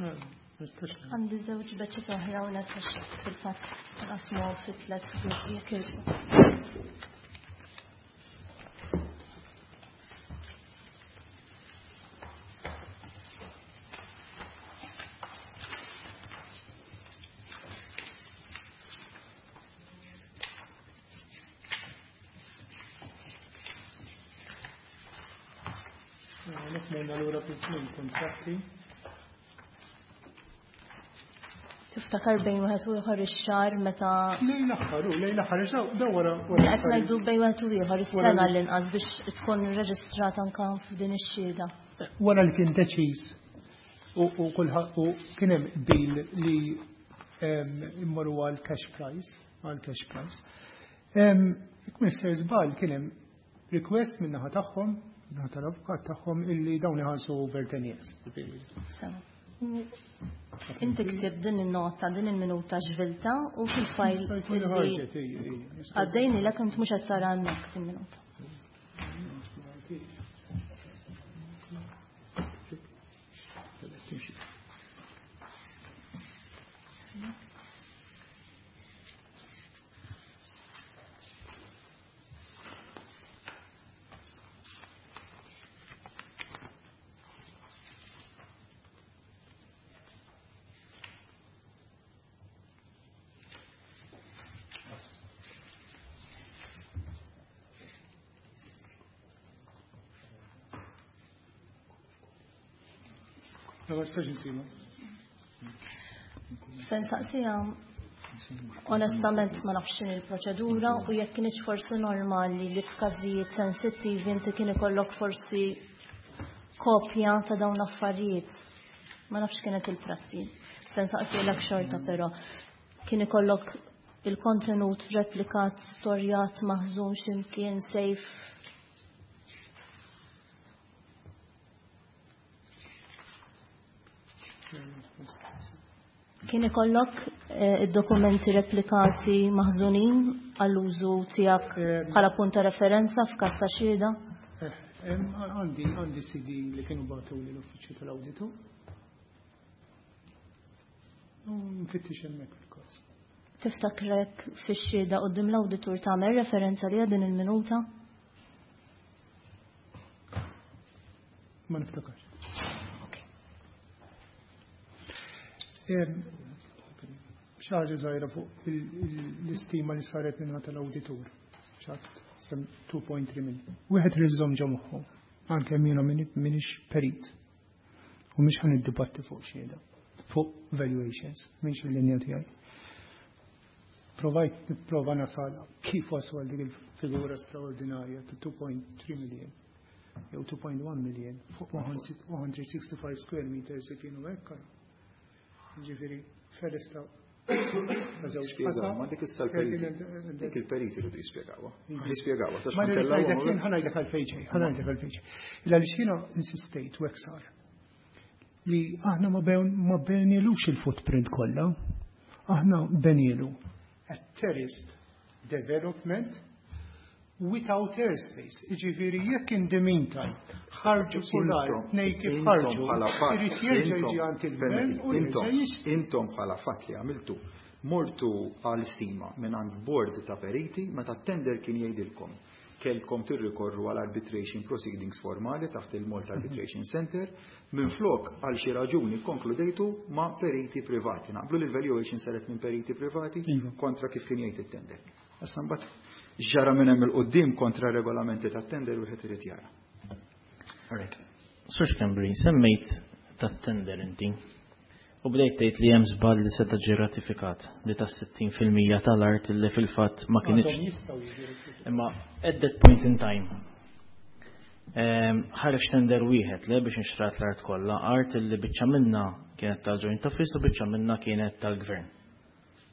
Għandi żewġ beċċiet oħra u għax fil-fatt nqasmu fi tliet gruppi jekk jogħġbok. Morna lura fi żmien kontratti. Tiftakar bejn wieħed u ieħor ix-xahar meta Lejn l-aħħar, u lejn l-aħħar, daw wara wara. Qed ngħidu bejn wieħed u ieħor is-sena l-inqas biex tkun reġistrata anke f'din ix-xhieda. Wara li kien deċiż u kulħadd u kien hemm deal li immorru għal cash price, għal cash price. Jekk Mister żball kien hemm request min-naħa tagħhom, min-naħa tal-avukat tagħhom illi dawn iħallsu over ten years. Inti ktib din in-nota, din il-minuta ġvilta u fil-fajl għaddejni lek int mhux qed tara hemmhekk il-minuta. Se nsaqsiha onestament ma nafx x'inhi l-proċedura u jekk kienx forsi normali li f'każijiet sensittivi inti kien ikollok forsi kopja ta' dawn l-affarijiet. Ma nafx kienet il-prassi. Se nsaqsilek xorta però kien ikollok il-kontenut replikat, storjat, maħżun x'imkien safe. Kien ikollok id-dokumenti replikati maħżunin għall-użu tiegħek bħala punt ta' referenza f'każ ta' xhieda? Għandi għandi C D li kienu bagħtu lill-uffiċċju tal-awditu. Nfittix hemmhekk fil-każ. Tiftakrek fix-xhieda quddiem l-awditur tagħmel referenza li din il-minuta? Ma niftakarx. Xi ħaġa żgħira fuq l-istima li saret minn tal-awditur. Xatt sem two point three million. Wieħed irid iżomm ġo moħħu, anke jiena m'iniex perit. U mhix ħa niddibatti fuq xhieda, fuq valuations, mhix il-linja tiegħi. Provajt nipprova nasal kif wasal dik il-figura straordinarja ta' two point three million jew two point one million fuq one hundred sixty-five square meters li kienu hekk. Ġifieri feres ta' Spjegaw, ma dik issa l-periti. Dik il-periti rridu jispjegawha. Jispjegawha, tax Ma nkella ngħidlek huma- jien ħa ngħidlek għalfejn ġej, ħa ngħidlek għalfejn ġej. Illa li jiena insistejt u hekk sar li aħna ma bew-, ma benilux il-footprint kollha, aħna benilu a terraced development without airspace. Jiġifieri jekk in the meantime ħarġu sular, Intom, tnejn kif intom ħarġu, bħala fatt, irid jerġa' intom, jiġi għand il-gvern permetti, u jerġa' intom, jixtri. Intom bħala fatt li għamiltu, mortu għal stima minn għand board ta' periti meta t-tender kien jgħidilkom kelkom tirrikorru għal arbitration proceedings formali taħt il-Malta Arbitration Center, minn flok għal xi raġuni konkludejtu ma' periti privati. Naqblu li l-valuation saret minn periti privati Iva. kontra kif kien jgħid it-tender. Issa mbagħad ġara minn hemm il-qudiem kontra regolamenti tat-tender wieħed irid jara. All right. Sur Schembri, semmejt tat-tender inti u bdejt tgħid li hemm żball li seta' ġie ratifikat li ta' sittin fil-mija tal-art li fil-fatt ma kinitx. Għadhom jistgħu jiġu ratifikati. Imma at that point in time, ehm, ħareġ tender wieħed le biex inxtrat l-art kollha, art li biċċa minna kienet tal-Joint Office u biċċa minna kienet tal-Gvern.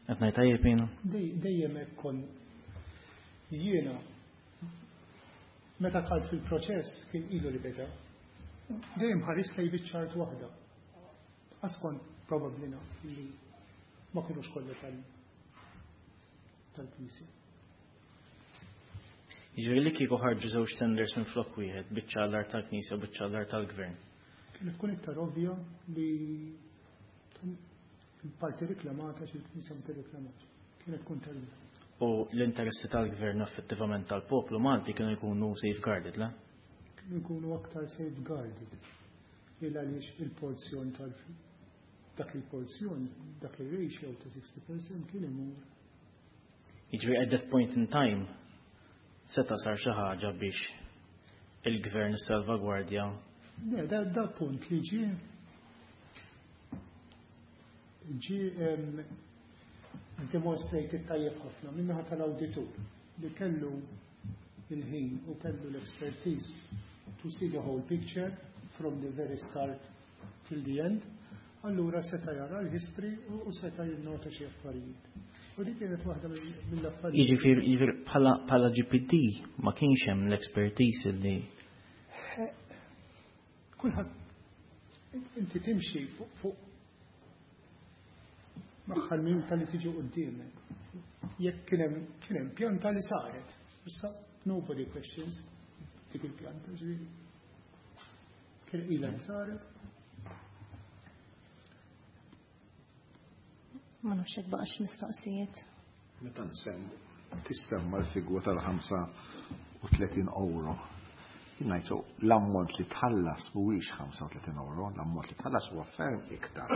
Qed ngħid tajjeb jiena? Dej-, dejjem hekk kon jiena meta dħalt fil-proċess kien ilu li beda. Dejjem ħares lejn biċċa art waħda. Għax kont probabbli naf li ma kinux kollha tal-, tal-Knisja. Jiġifieri li kieku ħarġu żewġ tenders minn flok wieħed, biċċa l-art tal-Knisja u biċċa l-art tal-Gvern. Kienet tkun iktar ovvja li Il-parti reklamata xi l-Knisja ma tirreklamax. Kienet tkun tal-gvern. U l-interessi tal-gvern effettivament tal-poplu Malti kienu jkunu safeguarded, le? Kienu jkunu aktar safeguarded. Il għaliex il-porzjon tal dak il-porzjon, dak il-ratio ta' sixty percent kien imur. Jiġifieri at that point in time seta' sar xi ħaġa biex il-gvern salvagwardja. Ne, da, da punt li ġie ġie demonstrated tajjeb ħafna minnaħa tal-awditur li kellu il-ħin u kellu l-expertise to see the whole picture from the very start till the end. Allura seta' jara l-history u seta' jinnota xi affarijiet. U dik kienet waħda mill-affarijiet. Jiġifieri jiġifieri bħala bħala G P D ma kienx hemm l-expertise li Kulħadd, inti timxi fuq maħħal minuta li tiġi qudiemek. Jekk kien hemm kien hemm pjanta li saret. Issa nobody questions dik il-pjanta, ġifieri. Kien ilha li saret. Ma nafx hekk baqax mistoqsijiet. Meta nsemmu tissemma l-figura tal-ħamsa u tletin euro. Jien so l-ammont li tħallas mhuwiex ħamsa u tletin euro, l-ammont li tħallas huwa ferm iktar.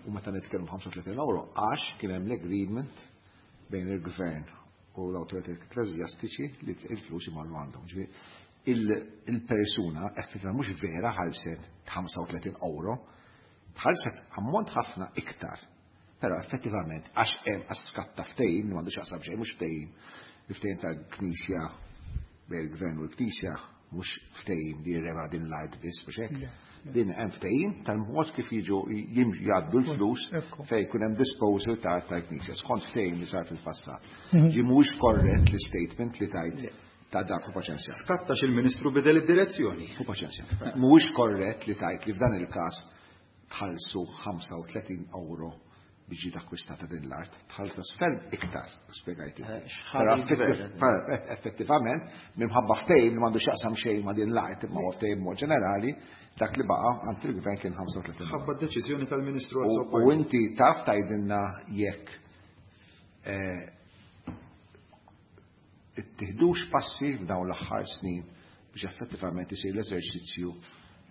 U meta nitkellmu ħamsa u tletin euro għax kien hemm l-agreement bejn il-gvern u l-awtoritajiet ekkleżjastiċi li il-flus imorru għandhom. Ġifieri, il-persuna effettivament mhux vera ħallset ħamsa u tletin euro, tħallset ammont ħafna iktar. Però effettivament għax hemm skatta ftehim, m'għandux jaqsam xejn, mhux ftehim, il-ftehim tal-Knisja bejn il-gvern u l-Knisja mhux ftehim li jirrema din l-art biss, mhux hekk. Din hemm ftehim tal-mod kif jiġu jgħaddu l-flus fejn jkun hemm disposal ta' tal-Knisja, skont ftehim li sar fil-passat. Mhm. Ġi mhux korrett l-statement li tajt ta' dak u paċenzja. Skattax il-Ministru bidel id-direzzjoni. U paċenzja. Mhuwiex korrett li tajt li f'dan il-każ tħallsu ħamsa u tletin euro biex ġiet akkwistata din l-art, tħallsu ferm iktar, spjegajt. Però effettivament, minħabba ftehim li m'għandu x'jaqsam xejn ma' din l-art, imma huwa ftehim mod ġenerali, dak li baqa' għand il-gvern kien ħamsa u tletin. Ħabba d-deċiżjoni tal-Ministru. U inti taf tgħidilna jekk eh, ittieħdux passi f'dawn l-aħħar snin biex effettivament isir l-eżerċizzju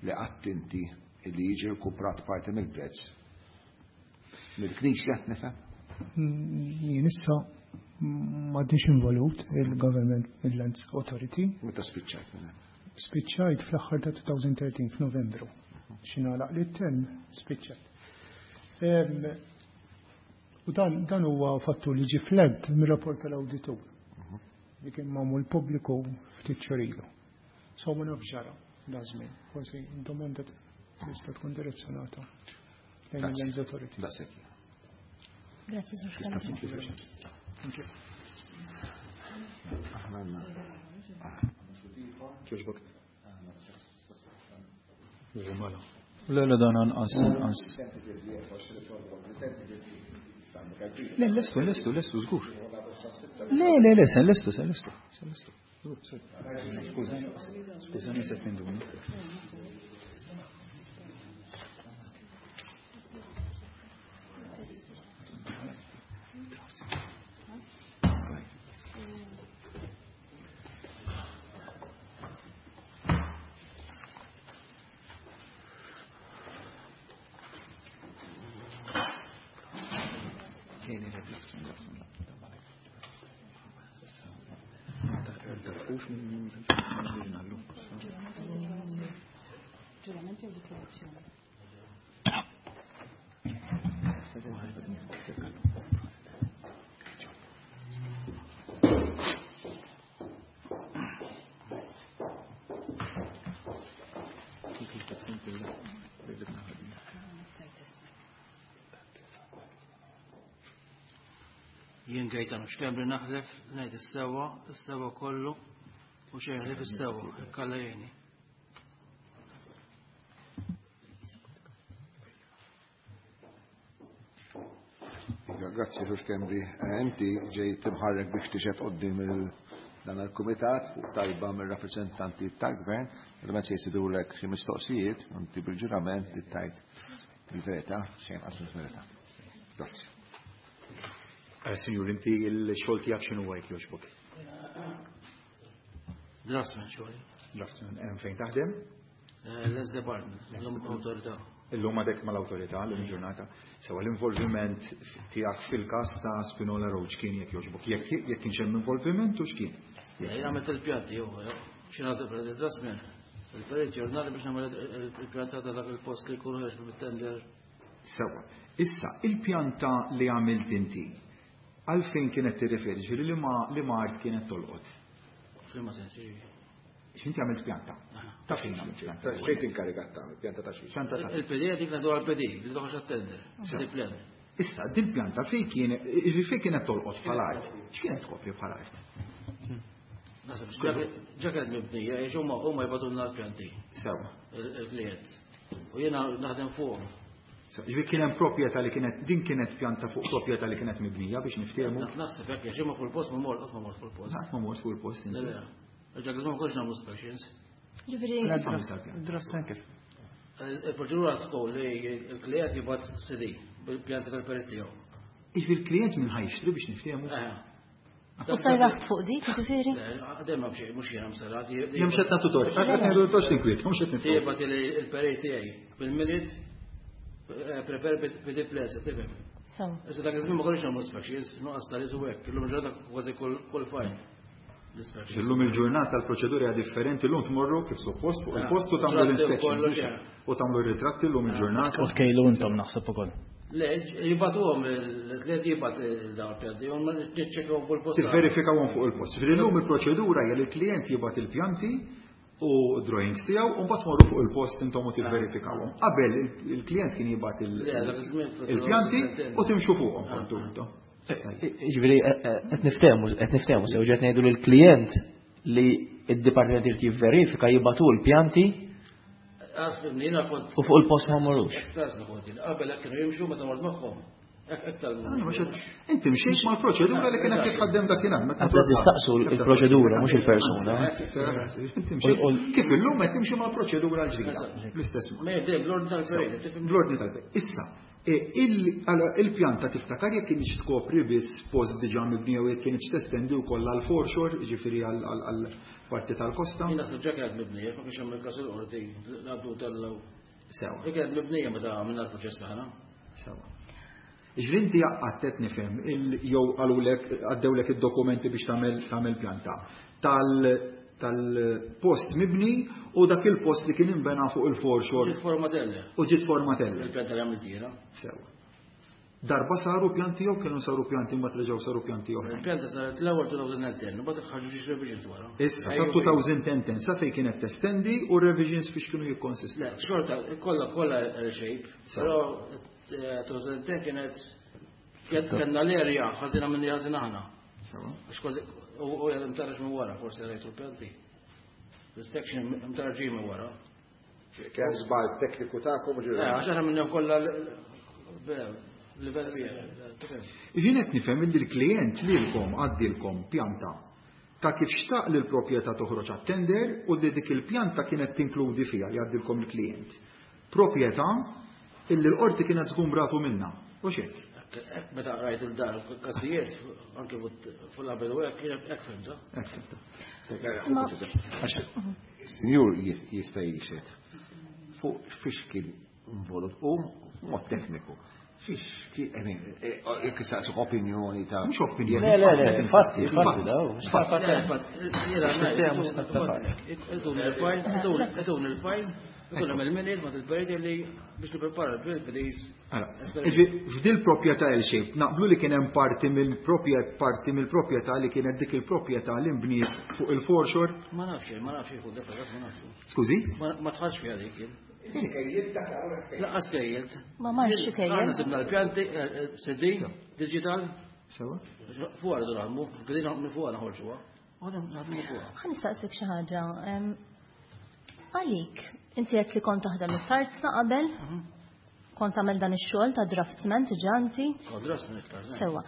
li qatt inti li jiġi rkuprat parti mill-prezz mill-Knisja, nifhem? Jien issa m'għadniex involut il-Government Midlands Authority. Meta spiċċajt? Spiċċajt fl-aħħar ta' elfejn u tlettax f'Novembru. X'ingħalaq li t-term spiċċajt. U dan, dan huwa fattu li ġi flagged mir-rapport tal-awditur li kien magħmul pubbliku ftit xhur ilu. So ma nafx ġara da żmien. Forsi domanda tista' tkun direzzjonata lejn il-Lands Authority. Grazie, Sur Schembri. Thank you. Kjoġbok. Mela. Le, le, dan anqas, anqas. Le, lestu, lestu, lestu, żgur. Le, le, le, se lestu, se lestu, se lestu. Skużani, skużani se tinduni. Ġurament jew dikjarazzjoni? Jien Gaetano Schembri naħlef ngħid is-sewwa, is-sewwa kollu u xejn ħlief is-sewwa, Alla jgħinni. Iva, grazzi, Sur Schembri. Eh, Inti ġejt imħarrek biex tixhed quddiem dan il-kumitat fuq talba mir-rappreżentanti tal-gvern, ovvjament se jsidulek xi mistoqsijiet, inti bil-ġurament tgħid Il-verità, xejn qas il-verità. Grazzi. Signor, inti il-xogħol tiegħek x'inhu jekk jogħġbok? Draftsman xogħli. Draftsman, hemm fejn taħdem? Lands Department, l-awtorità. Illum għadek mal-awtorità, l ġurnata. Sewa l-involviment tiegħek fil-każ ta' Spinola Road kien jekk jogħġbok. Jekk jekk kienx hemm involviment u x'kien? Jien għamilt il-pjanti, jew xi nagħti draftsman. Il-perit ġurnali biex nagħmel il-pjanta ta' dak il-post li jkunu ħerġ bit-tender. Sewa. Issa, il-pjanta li għamilt inti, għalfejn kienet tirreferi, ġifieri li ma li ma art kienet tolqot? F'liema sens, X'inti għamilt pjanta? Ta' fejn għamilt pjanta? Xejn tinkarigat tagħmel, pjanta ta' xiex. Pjanta ta' Il-P D dik nagħtu għall-P D, li toħroġ għat-tender. Dik pjan. Issa, din pjanta fejn kienet, ġifieri fejn kienet tolqot bħala art? X'kienet tkopri bħala art? Naħseb, ġa kienet mibnija, għax huma huma jibgħatulna l-pjanti. Sewa. Il-klient. U jiena naħdem fuqhom. Ġifieri kien hemm proprjetà li kienet, din kienet pjanta fuq proprjetà li kienet mibnija biex niftehmu. Naħseb hekk, għax huma fuq il-post ma mort, qatt ma mort fuq il-post. Qatt ma mort fuq il-post inti. Le, le. Ġa kien ma konx nagħmlu inspections. Ġifieri Draftsman kif? Il-proċedura tkun li l-klient jibgħat C D bil-pjanta tal-perit tiegħu. Ġifieri l-klient minn ħajxtri biex niftehmu? Eh. U sarraħt fuq dik, ġifieri? Le, għadem ma bxej, mhux jiena msarrat, jie- Jien mhux qed nagħtu tort, qed ngħidu l-post inkwiet, mhux qed nitfgħu. Jibgħat il-perit tiegħi bil-minute, prepare P D plans, tifhem. Sew. Issa dak iż-żmien ma konniex nagħmlu inspections, nuqqas tal-iż u hekk, illum il-ġurnata kważi kull fajn. Illum il-ġurnata l-proċedura hija differenti, illum tmorru kif suppost fuq il-post u tagħmlu Ritratti u l-inspections, kollox, mhux hekk? U tagħmlu r-ritratti illum il-ġurnata. U tkejlu intom naħseb ukoll. Le, jibgħatuhom, il-tliet jibgħat il-dawn il-pjanti, u ma niċċekkawhom fuq il-post. Tivverifikawhom fuq il-post. Ġifieri llum il-proċedura hija li l-klient jibgħat il-pjanti u drawings tiegħu u mbagħad tmorru fuq il-post intom u tivverifikawhom. Qabel il-klient kien jibgħat il- Le, dak iż-żmien fil- il-pjanti u timxu fuqhom kontu intom. Ġifieri, qed niftehmu, qed niftehmu sew ġed ngħidu lill-klient li d-dipartiment irid jivverifika jibgħatu l-pjanti Għas, jiena kont u fuq il-post ma mmorrux. Ekstras kont jien. Qabel hekk kienu jimxu meta mort magħhom. Hekk aktar minn Ah, ma xed, inti mxejt mal-proċedura li kienet titħaddem dakinhar, meta Għadda nistaqsu il-proċedura, mhux il-persuna. Inti mxejt. Kif illum qed timxi mal-proċedura l-ġdida. L-istess mod. Ma jgħid bl-ordni tal-perit, tifhem? Bl-ordni tal-perit. Issa, e, il-, allora, il-pjanta tiftakar jekk kienx tkopri biss post diġà mibni jew jekk kienx testendi wkoll għal foreshore, jiġifieri għal, għal, għal parti tal-kosta. Jiena naħseb ġa kienet mibnija, ma kienx hemm il-każ il-qorti, l-għabdu tal-law. Sewa. Jekk kienet mibnija meta għamilna l-proċess aħna. Sewa. Ġifieri inti għadt qed nifhem il-, jew qalulek, għaddewlek id-dokumenti biex tagħmel, tagħmel pjanta tal-, tal-post mibni u dak il-post li kien inbena fuq il-foreshore. Ġiet formatella. U ġiet formatella. Il-pjanta li għamilt jiena. Sewa. Darba saru pjanti jew kienu saru pjanti mbagħad reġgħu saru pjanti oħra. Il-pjanta saret l-ewwel two thousand and ten, u mbagħad ħarġu xi revisions wara. Issa, ta' two thousand and ten, sa fejn kienet testendi u revisions fiex kienu jikkonsistu? Le, xorta, kollha, kollha L-shape. Sewa. Però, eh, two thousand and ten kienet kienet kellna l-area ħażina minn li ħażina aħna. Sewa. Għax kważi, u, u jgħid imtarraġ minn wara, forsi rajtu l-pjanti. L-section imtarraġ minn wara. Kemm żball tekniku tagħkom u ġiri? Le, għax aħna minnhom kollha l-, l-, livell wieħed. Jien qed nifhem li l-klient lilkom għaddilkom pjanta ta' kif xtaq li l-proprjetà toħroġ għat-tender u li dik il-pjanta kienet tinkludi fiha li għaddilkom il-klient. Proprjetà illi l-qorti kienet żgumbratu minnha. U x'hekk? Hekk meta rajt il-dar każijiet anke fuq l-qabel u hekk hekk fhimta. Hekk fhimta. Għax is-sinjur jista' jixhed fuq fiex kien involut u mod tekniku. Fiex kien, I mean, eh, jekk saqsu opinjoni ta' Mhux opinjoni. Le, le, le, infatti, infatti, daw. Infatti, jiena ngħid, Mhux idun il-fajn, idun, idun il-fajn, idun il-minute ma til-perit li biex nipprepara l-P Ds. Allora, f'dil proprjetà L-shape, naqblu li kien hemm parti mill-proprjetà, parti mill-proprjetà li kienet dik il-proprjetà li nbniet fuq il-foreshore? Ma nafx, ma nafx fuq dak ma nafx. Skużi? Ma, ma tħallx fiha dik jien. Laqqas kejjilt. Ma marx xi kejjel. Aħna sibna l-pjanti, eh, eh, C D, digital. Sewa. Fuq għardu nagħmlu, bdejna minn fuq naħorġuha. Għadhom naħdmu fuqha. Ħa nistaqsik xi ħaġa. Em, għalik, inti qed li kont taħdem it-tarzna qabel? Mhm. Kont tagħmel dan ix-xogħol ta' draftsman diġà inti? Kont draftsman it-tarzna. Sewa.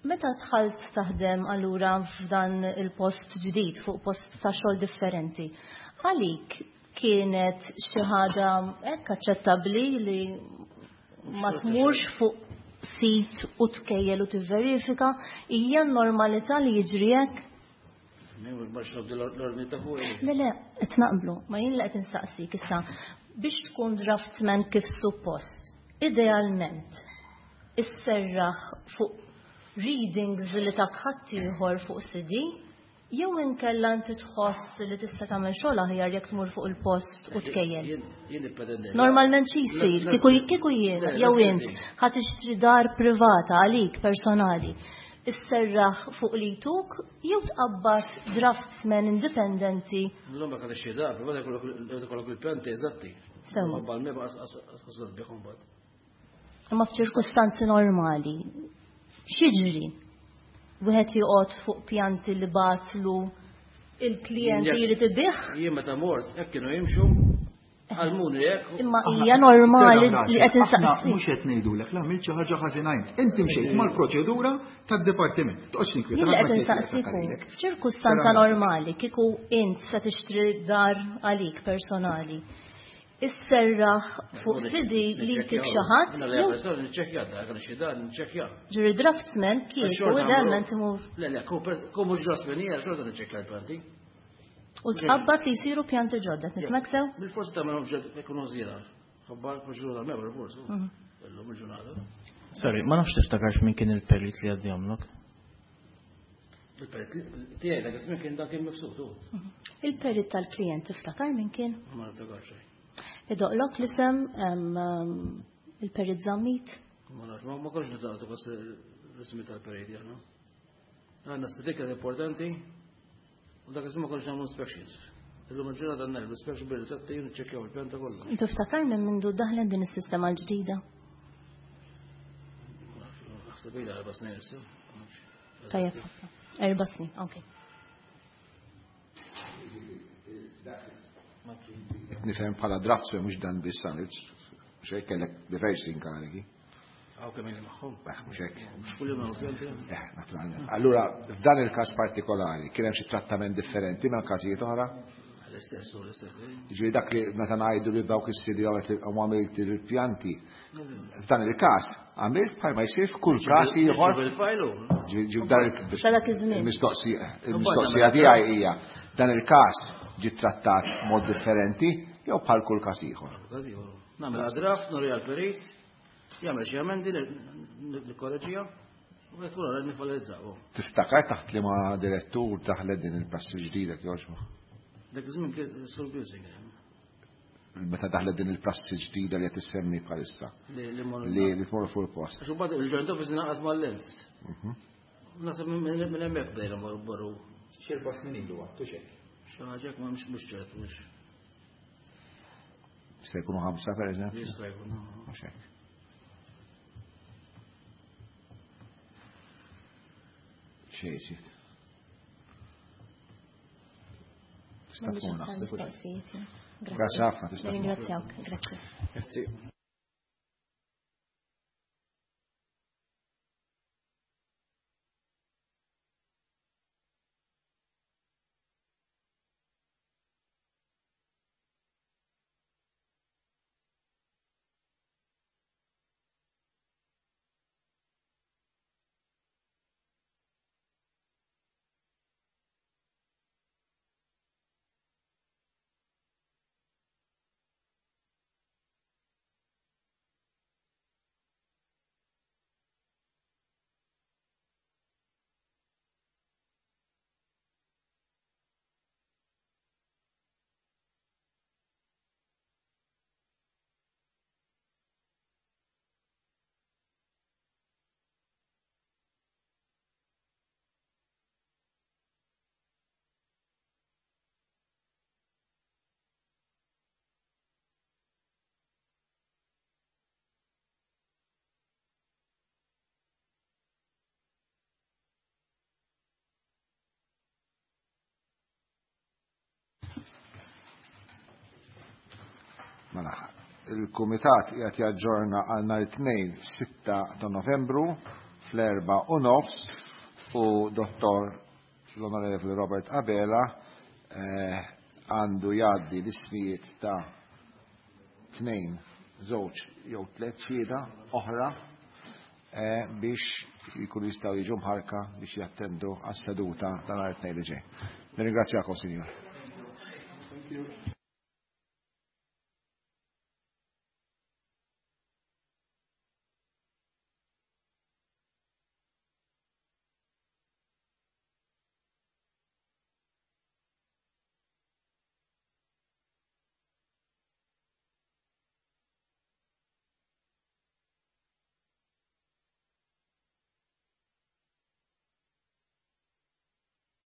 Meta dħalt taħdem allura f'dan il-post ġdid, fuq post ta' xogħol differenti, għalik kienet xi ħaġa hekk aċċettabbli li Ma tmurx fuq sit u tkejjel u tivverifika, hija normalità li jiġri hekk? Le, le, qed naqblu, ma jien li qed insaqsik issa biex tkun draftsman kif suppost, idealment isserraħ fuq readings li tak ħaddieħor fuq C D, jew inkella inti tħoss li tista' tagħmel xogħol aħjar jekk tmur fuq il-post u tkejjel. Normalment xi jsir, kieku jien jew int ħa tixtri dar privata għalik personali, isserraħ fuq li tuk jew tqabbad draftsman indipendenti. L-lum baka tixtri dar privata jkollok il-pjanti eżatti. Sewa. Imma f'ċirkustanzi normali, x'jiġri? Wieħed joqgħod fuq pjanti li batlu il-klijent li jrid ibih? Jien meta mort hekk kienu jimxu għalmuni hekk. Imma hija normali li qed insaqsi. Mhux qed ngħidulek la għamilt xi ħaġa ħażina int. Inti mxejt mal-proċedura tad-dipartiment. Toqgħodx ninkwieta. Jien qed insaqsik f'ċirkustanza normali kieku int se tixtri dar għalik personali. Isserraħ fuq C D li jtik xi ħadd. Niċċekkja dak xi dar niċċekkja. Ġuri draftsman kieku idealment imur. Le le, ku mhux draftsman hija xorta niċċekkja l-pjanti. U tqabbad li jsiru pjanti ġodda, nifhmek sew? Bil-forsi tagħmelhom ġod ikunu żgħira. Ħabbar proċedura mebra forsi. Illum il-ġurnata. Sorry, ma nafx tiftakarx min kien il-perit li għaddihomlok. Il-perit tiegħi dak iż-żmien kien dak kien mifsud. Il-perit tal-klijent tiftakar min kien? Ma niftakarx xejn. Idoqlok l-isem il-perit Zammit? Ma nafx, ma konx nitaqtu bas l-ismi tal-perit aħna. Għandna s-sidika importanti u dak iż-żmien ma konx nagħmlu inspections. Illum il-ġurnata għandna l-inspection bil-rizzetti u niċċekkjaw il-pjanta kollha. Tiftakar minn mindu daħlet din is-sistema l-ġdida? Naħseb ilha erba' snin issa. Tajjeb ħafna. Erba' snin, okej. Nifhem bħala draftsman mhux dan biss għamilt, mhux hekk kellek diversi inkarigi. Hawn kemm ili magħhom. Mhux hekk. Mhux kull jum pjanti. Eh, naturalment. Allura f'dan il-każ partikolari kien hemm xi trattament differenti minn każijiet oħra? L-istess, l-istess. Jiġifieri dak li meta ngħidu li dawk is-sidi għamilt il-pjanti, f'dan il-każ għamilt bħal ma jsir f'kull każ ieħor. Il-mistoqsija il-mistoqsija tiegħi hija dan il-każ ġi trattat mod differenti jew bħal kull każ ieħor. Nagħmel draft, nuri għall-perit, jagħmel xi emendi nikkoreġiha u jekk wara nifalizzaw. Tiftakar taħt li ma' direttur taħlet din il-prassi ġdida jogħġbok? Dak iż-żmien kien Sur Busing. Meta daħlet din il-prassi ġdida li qed issemmi bħalissa. Li tmorru fuq il-post. Għax imbagħad il-joint office ingħaqad mal-Lens. Naħseb minn hemmhekk bdejna morru. Xi erba' snin ilu għattu xejn. Xi ħaġa hekk ma mhux mhux ċert mhux. Se jkunu ħamsa pereżempju? Jista' jkun. Mhux hekk. Xejn iżjed. Tista' tkun naħseb. Grazzi ħafna tista' tkun. Ringrazzjawk, grazzi. Grazzi. Mela, il-Kumitat qiegħed jaġġorna għal nhar it-tnejn sitta ta' Novembru fl-erba' u nofs u Dottor l-Onorevoli Robert Abela għandu jgħaddi l-ismijiet ta' tnejn żewġ jew tliet xhieda oħra eh, biex jkunu jistgħu jiġu mħarrka biex jattendu għas-seduta ta' nhar it-Tnejn li ġej. Nirringrazzjakom, Sinjur. Thank you.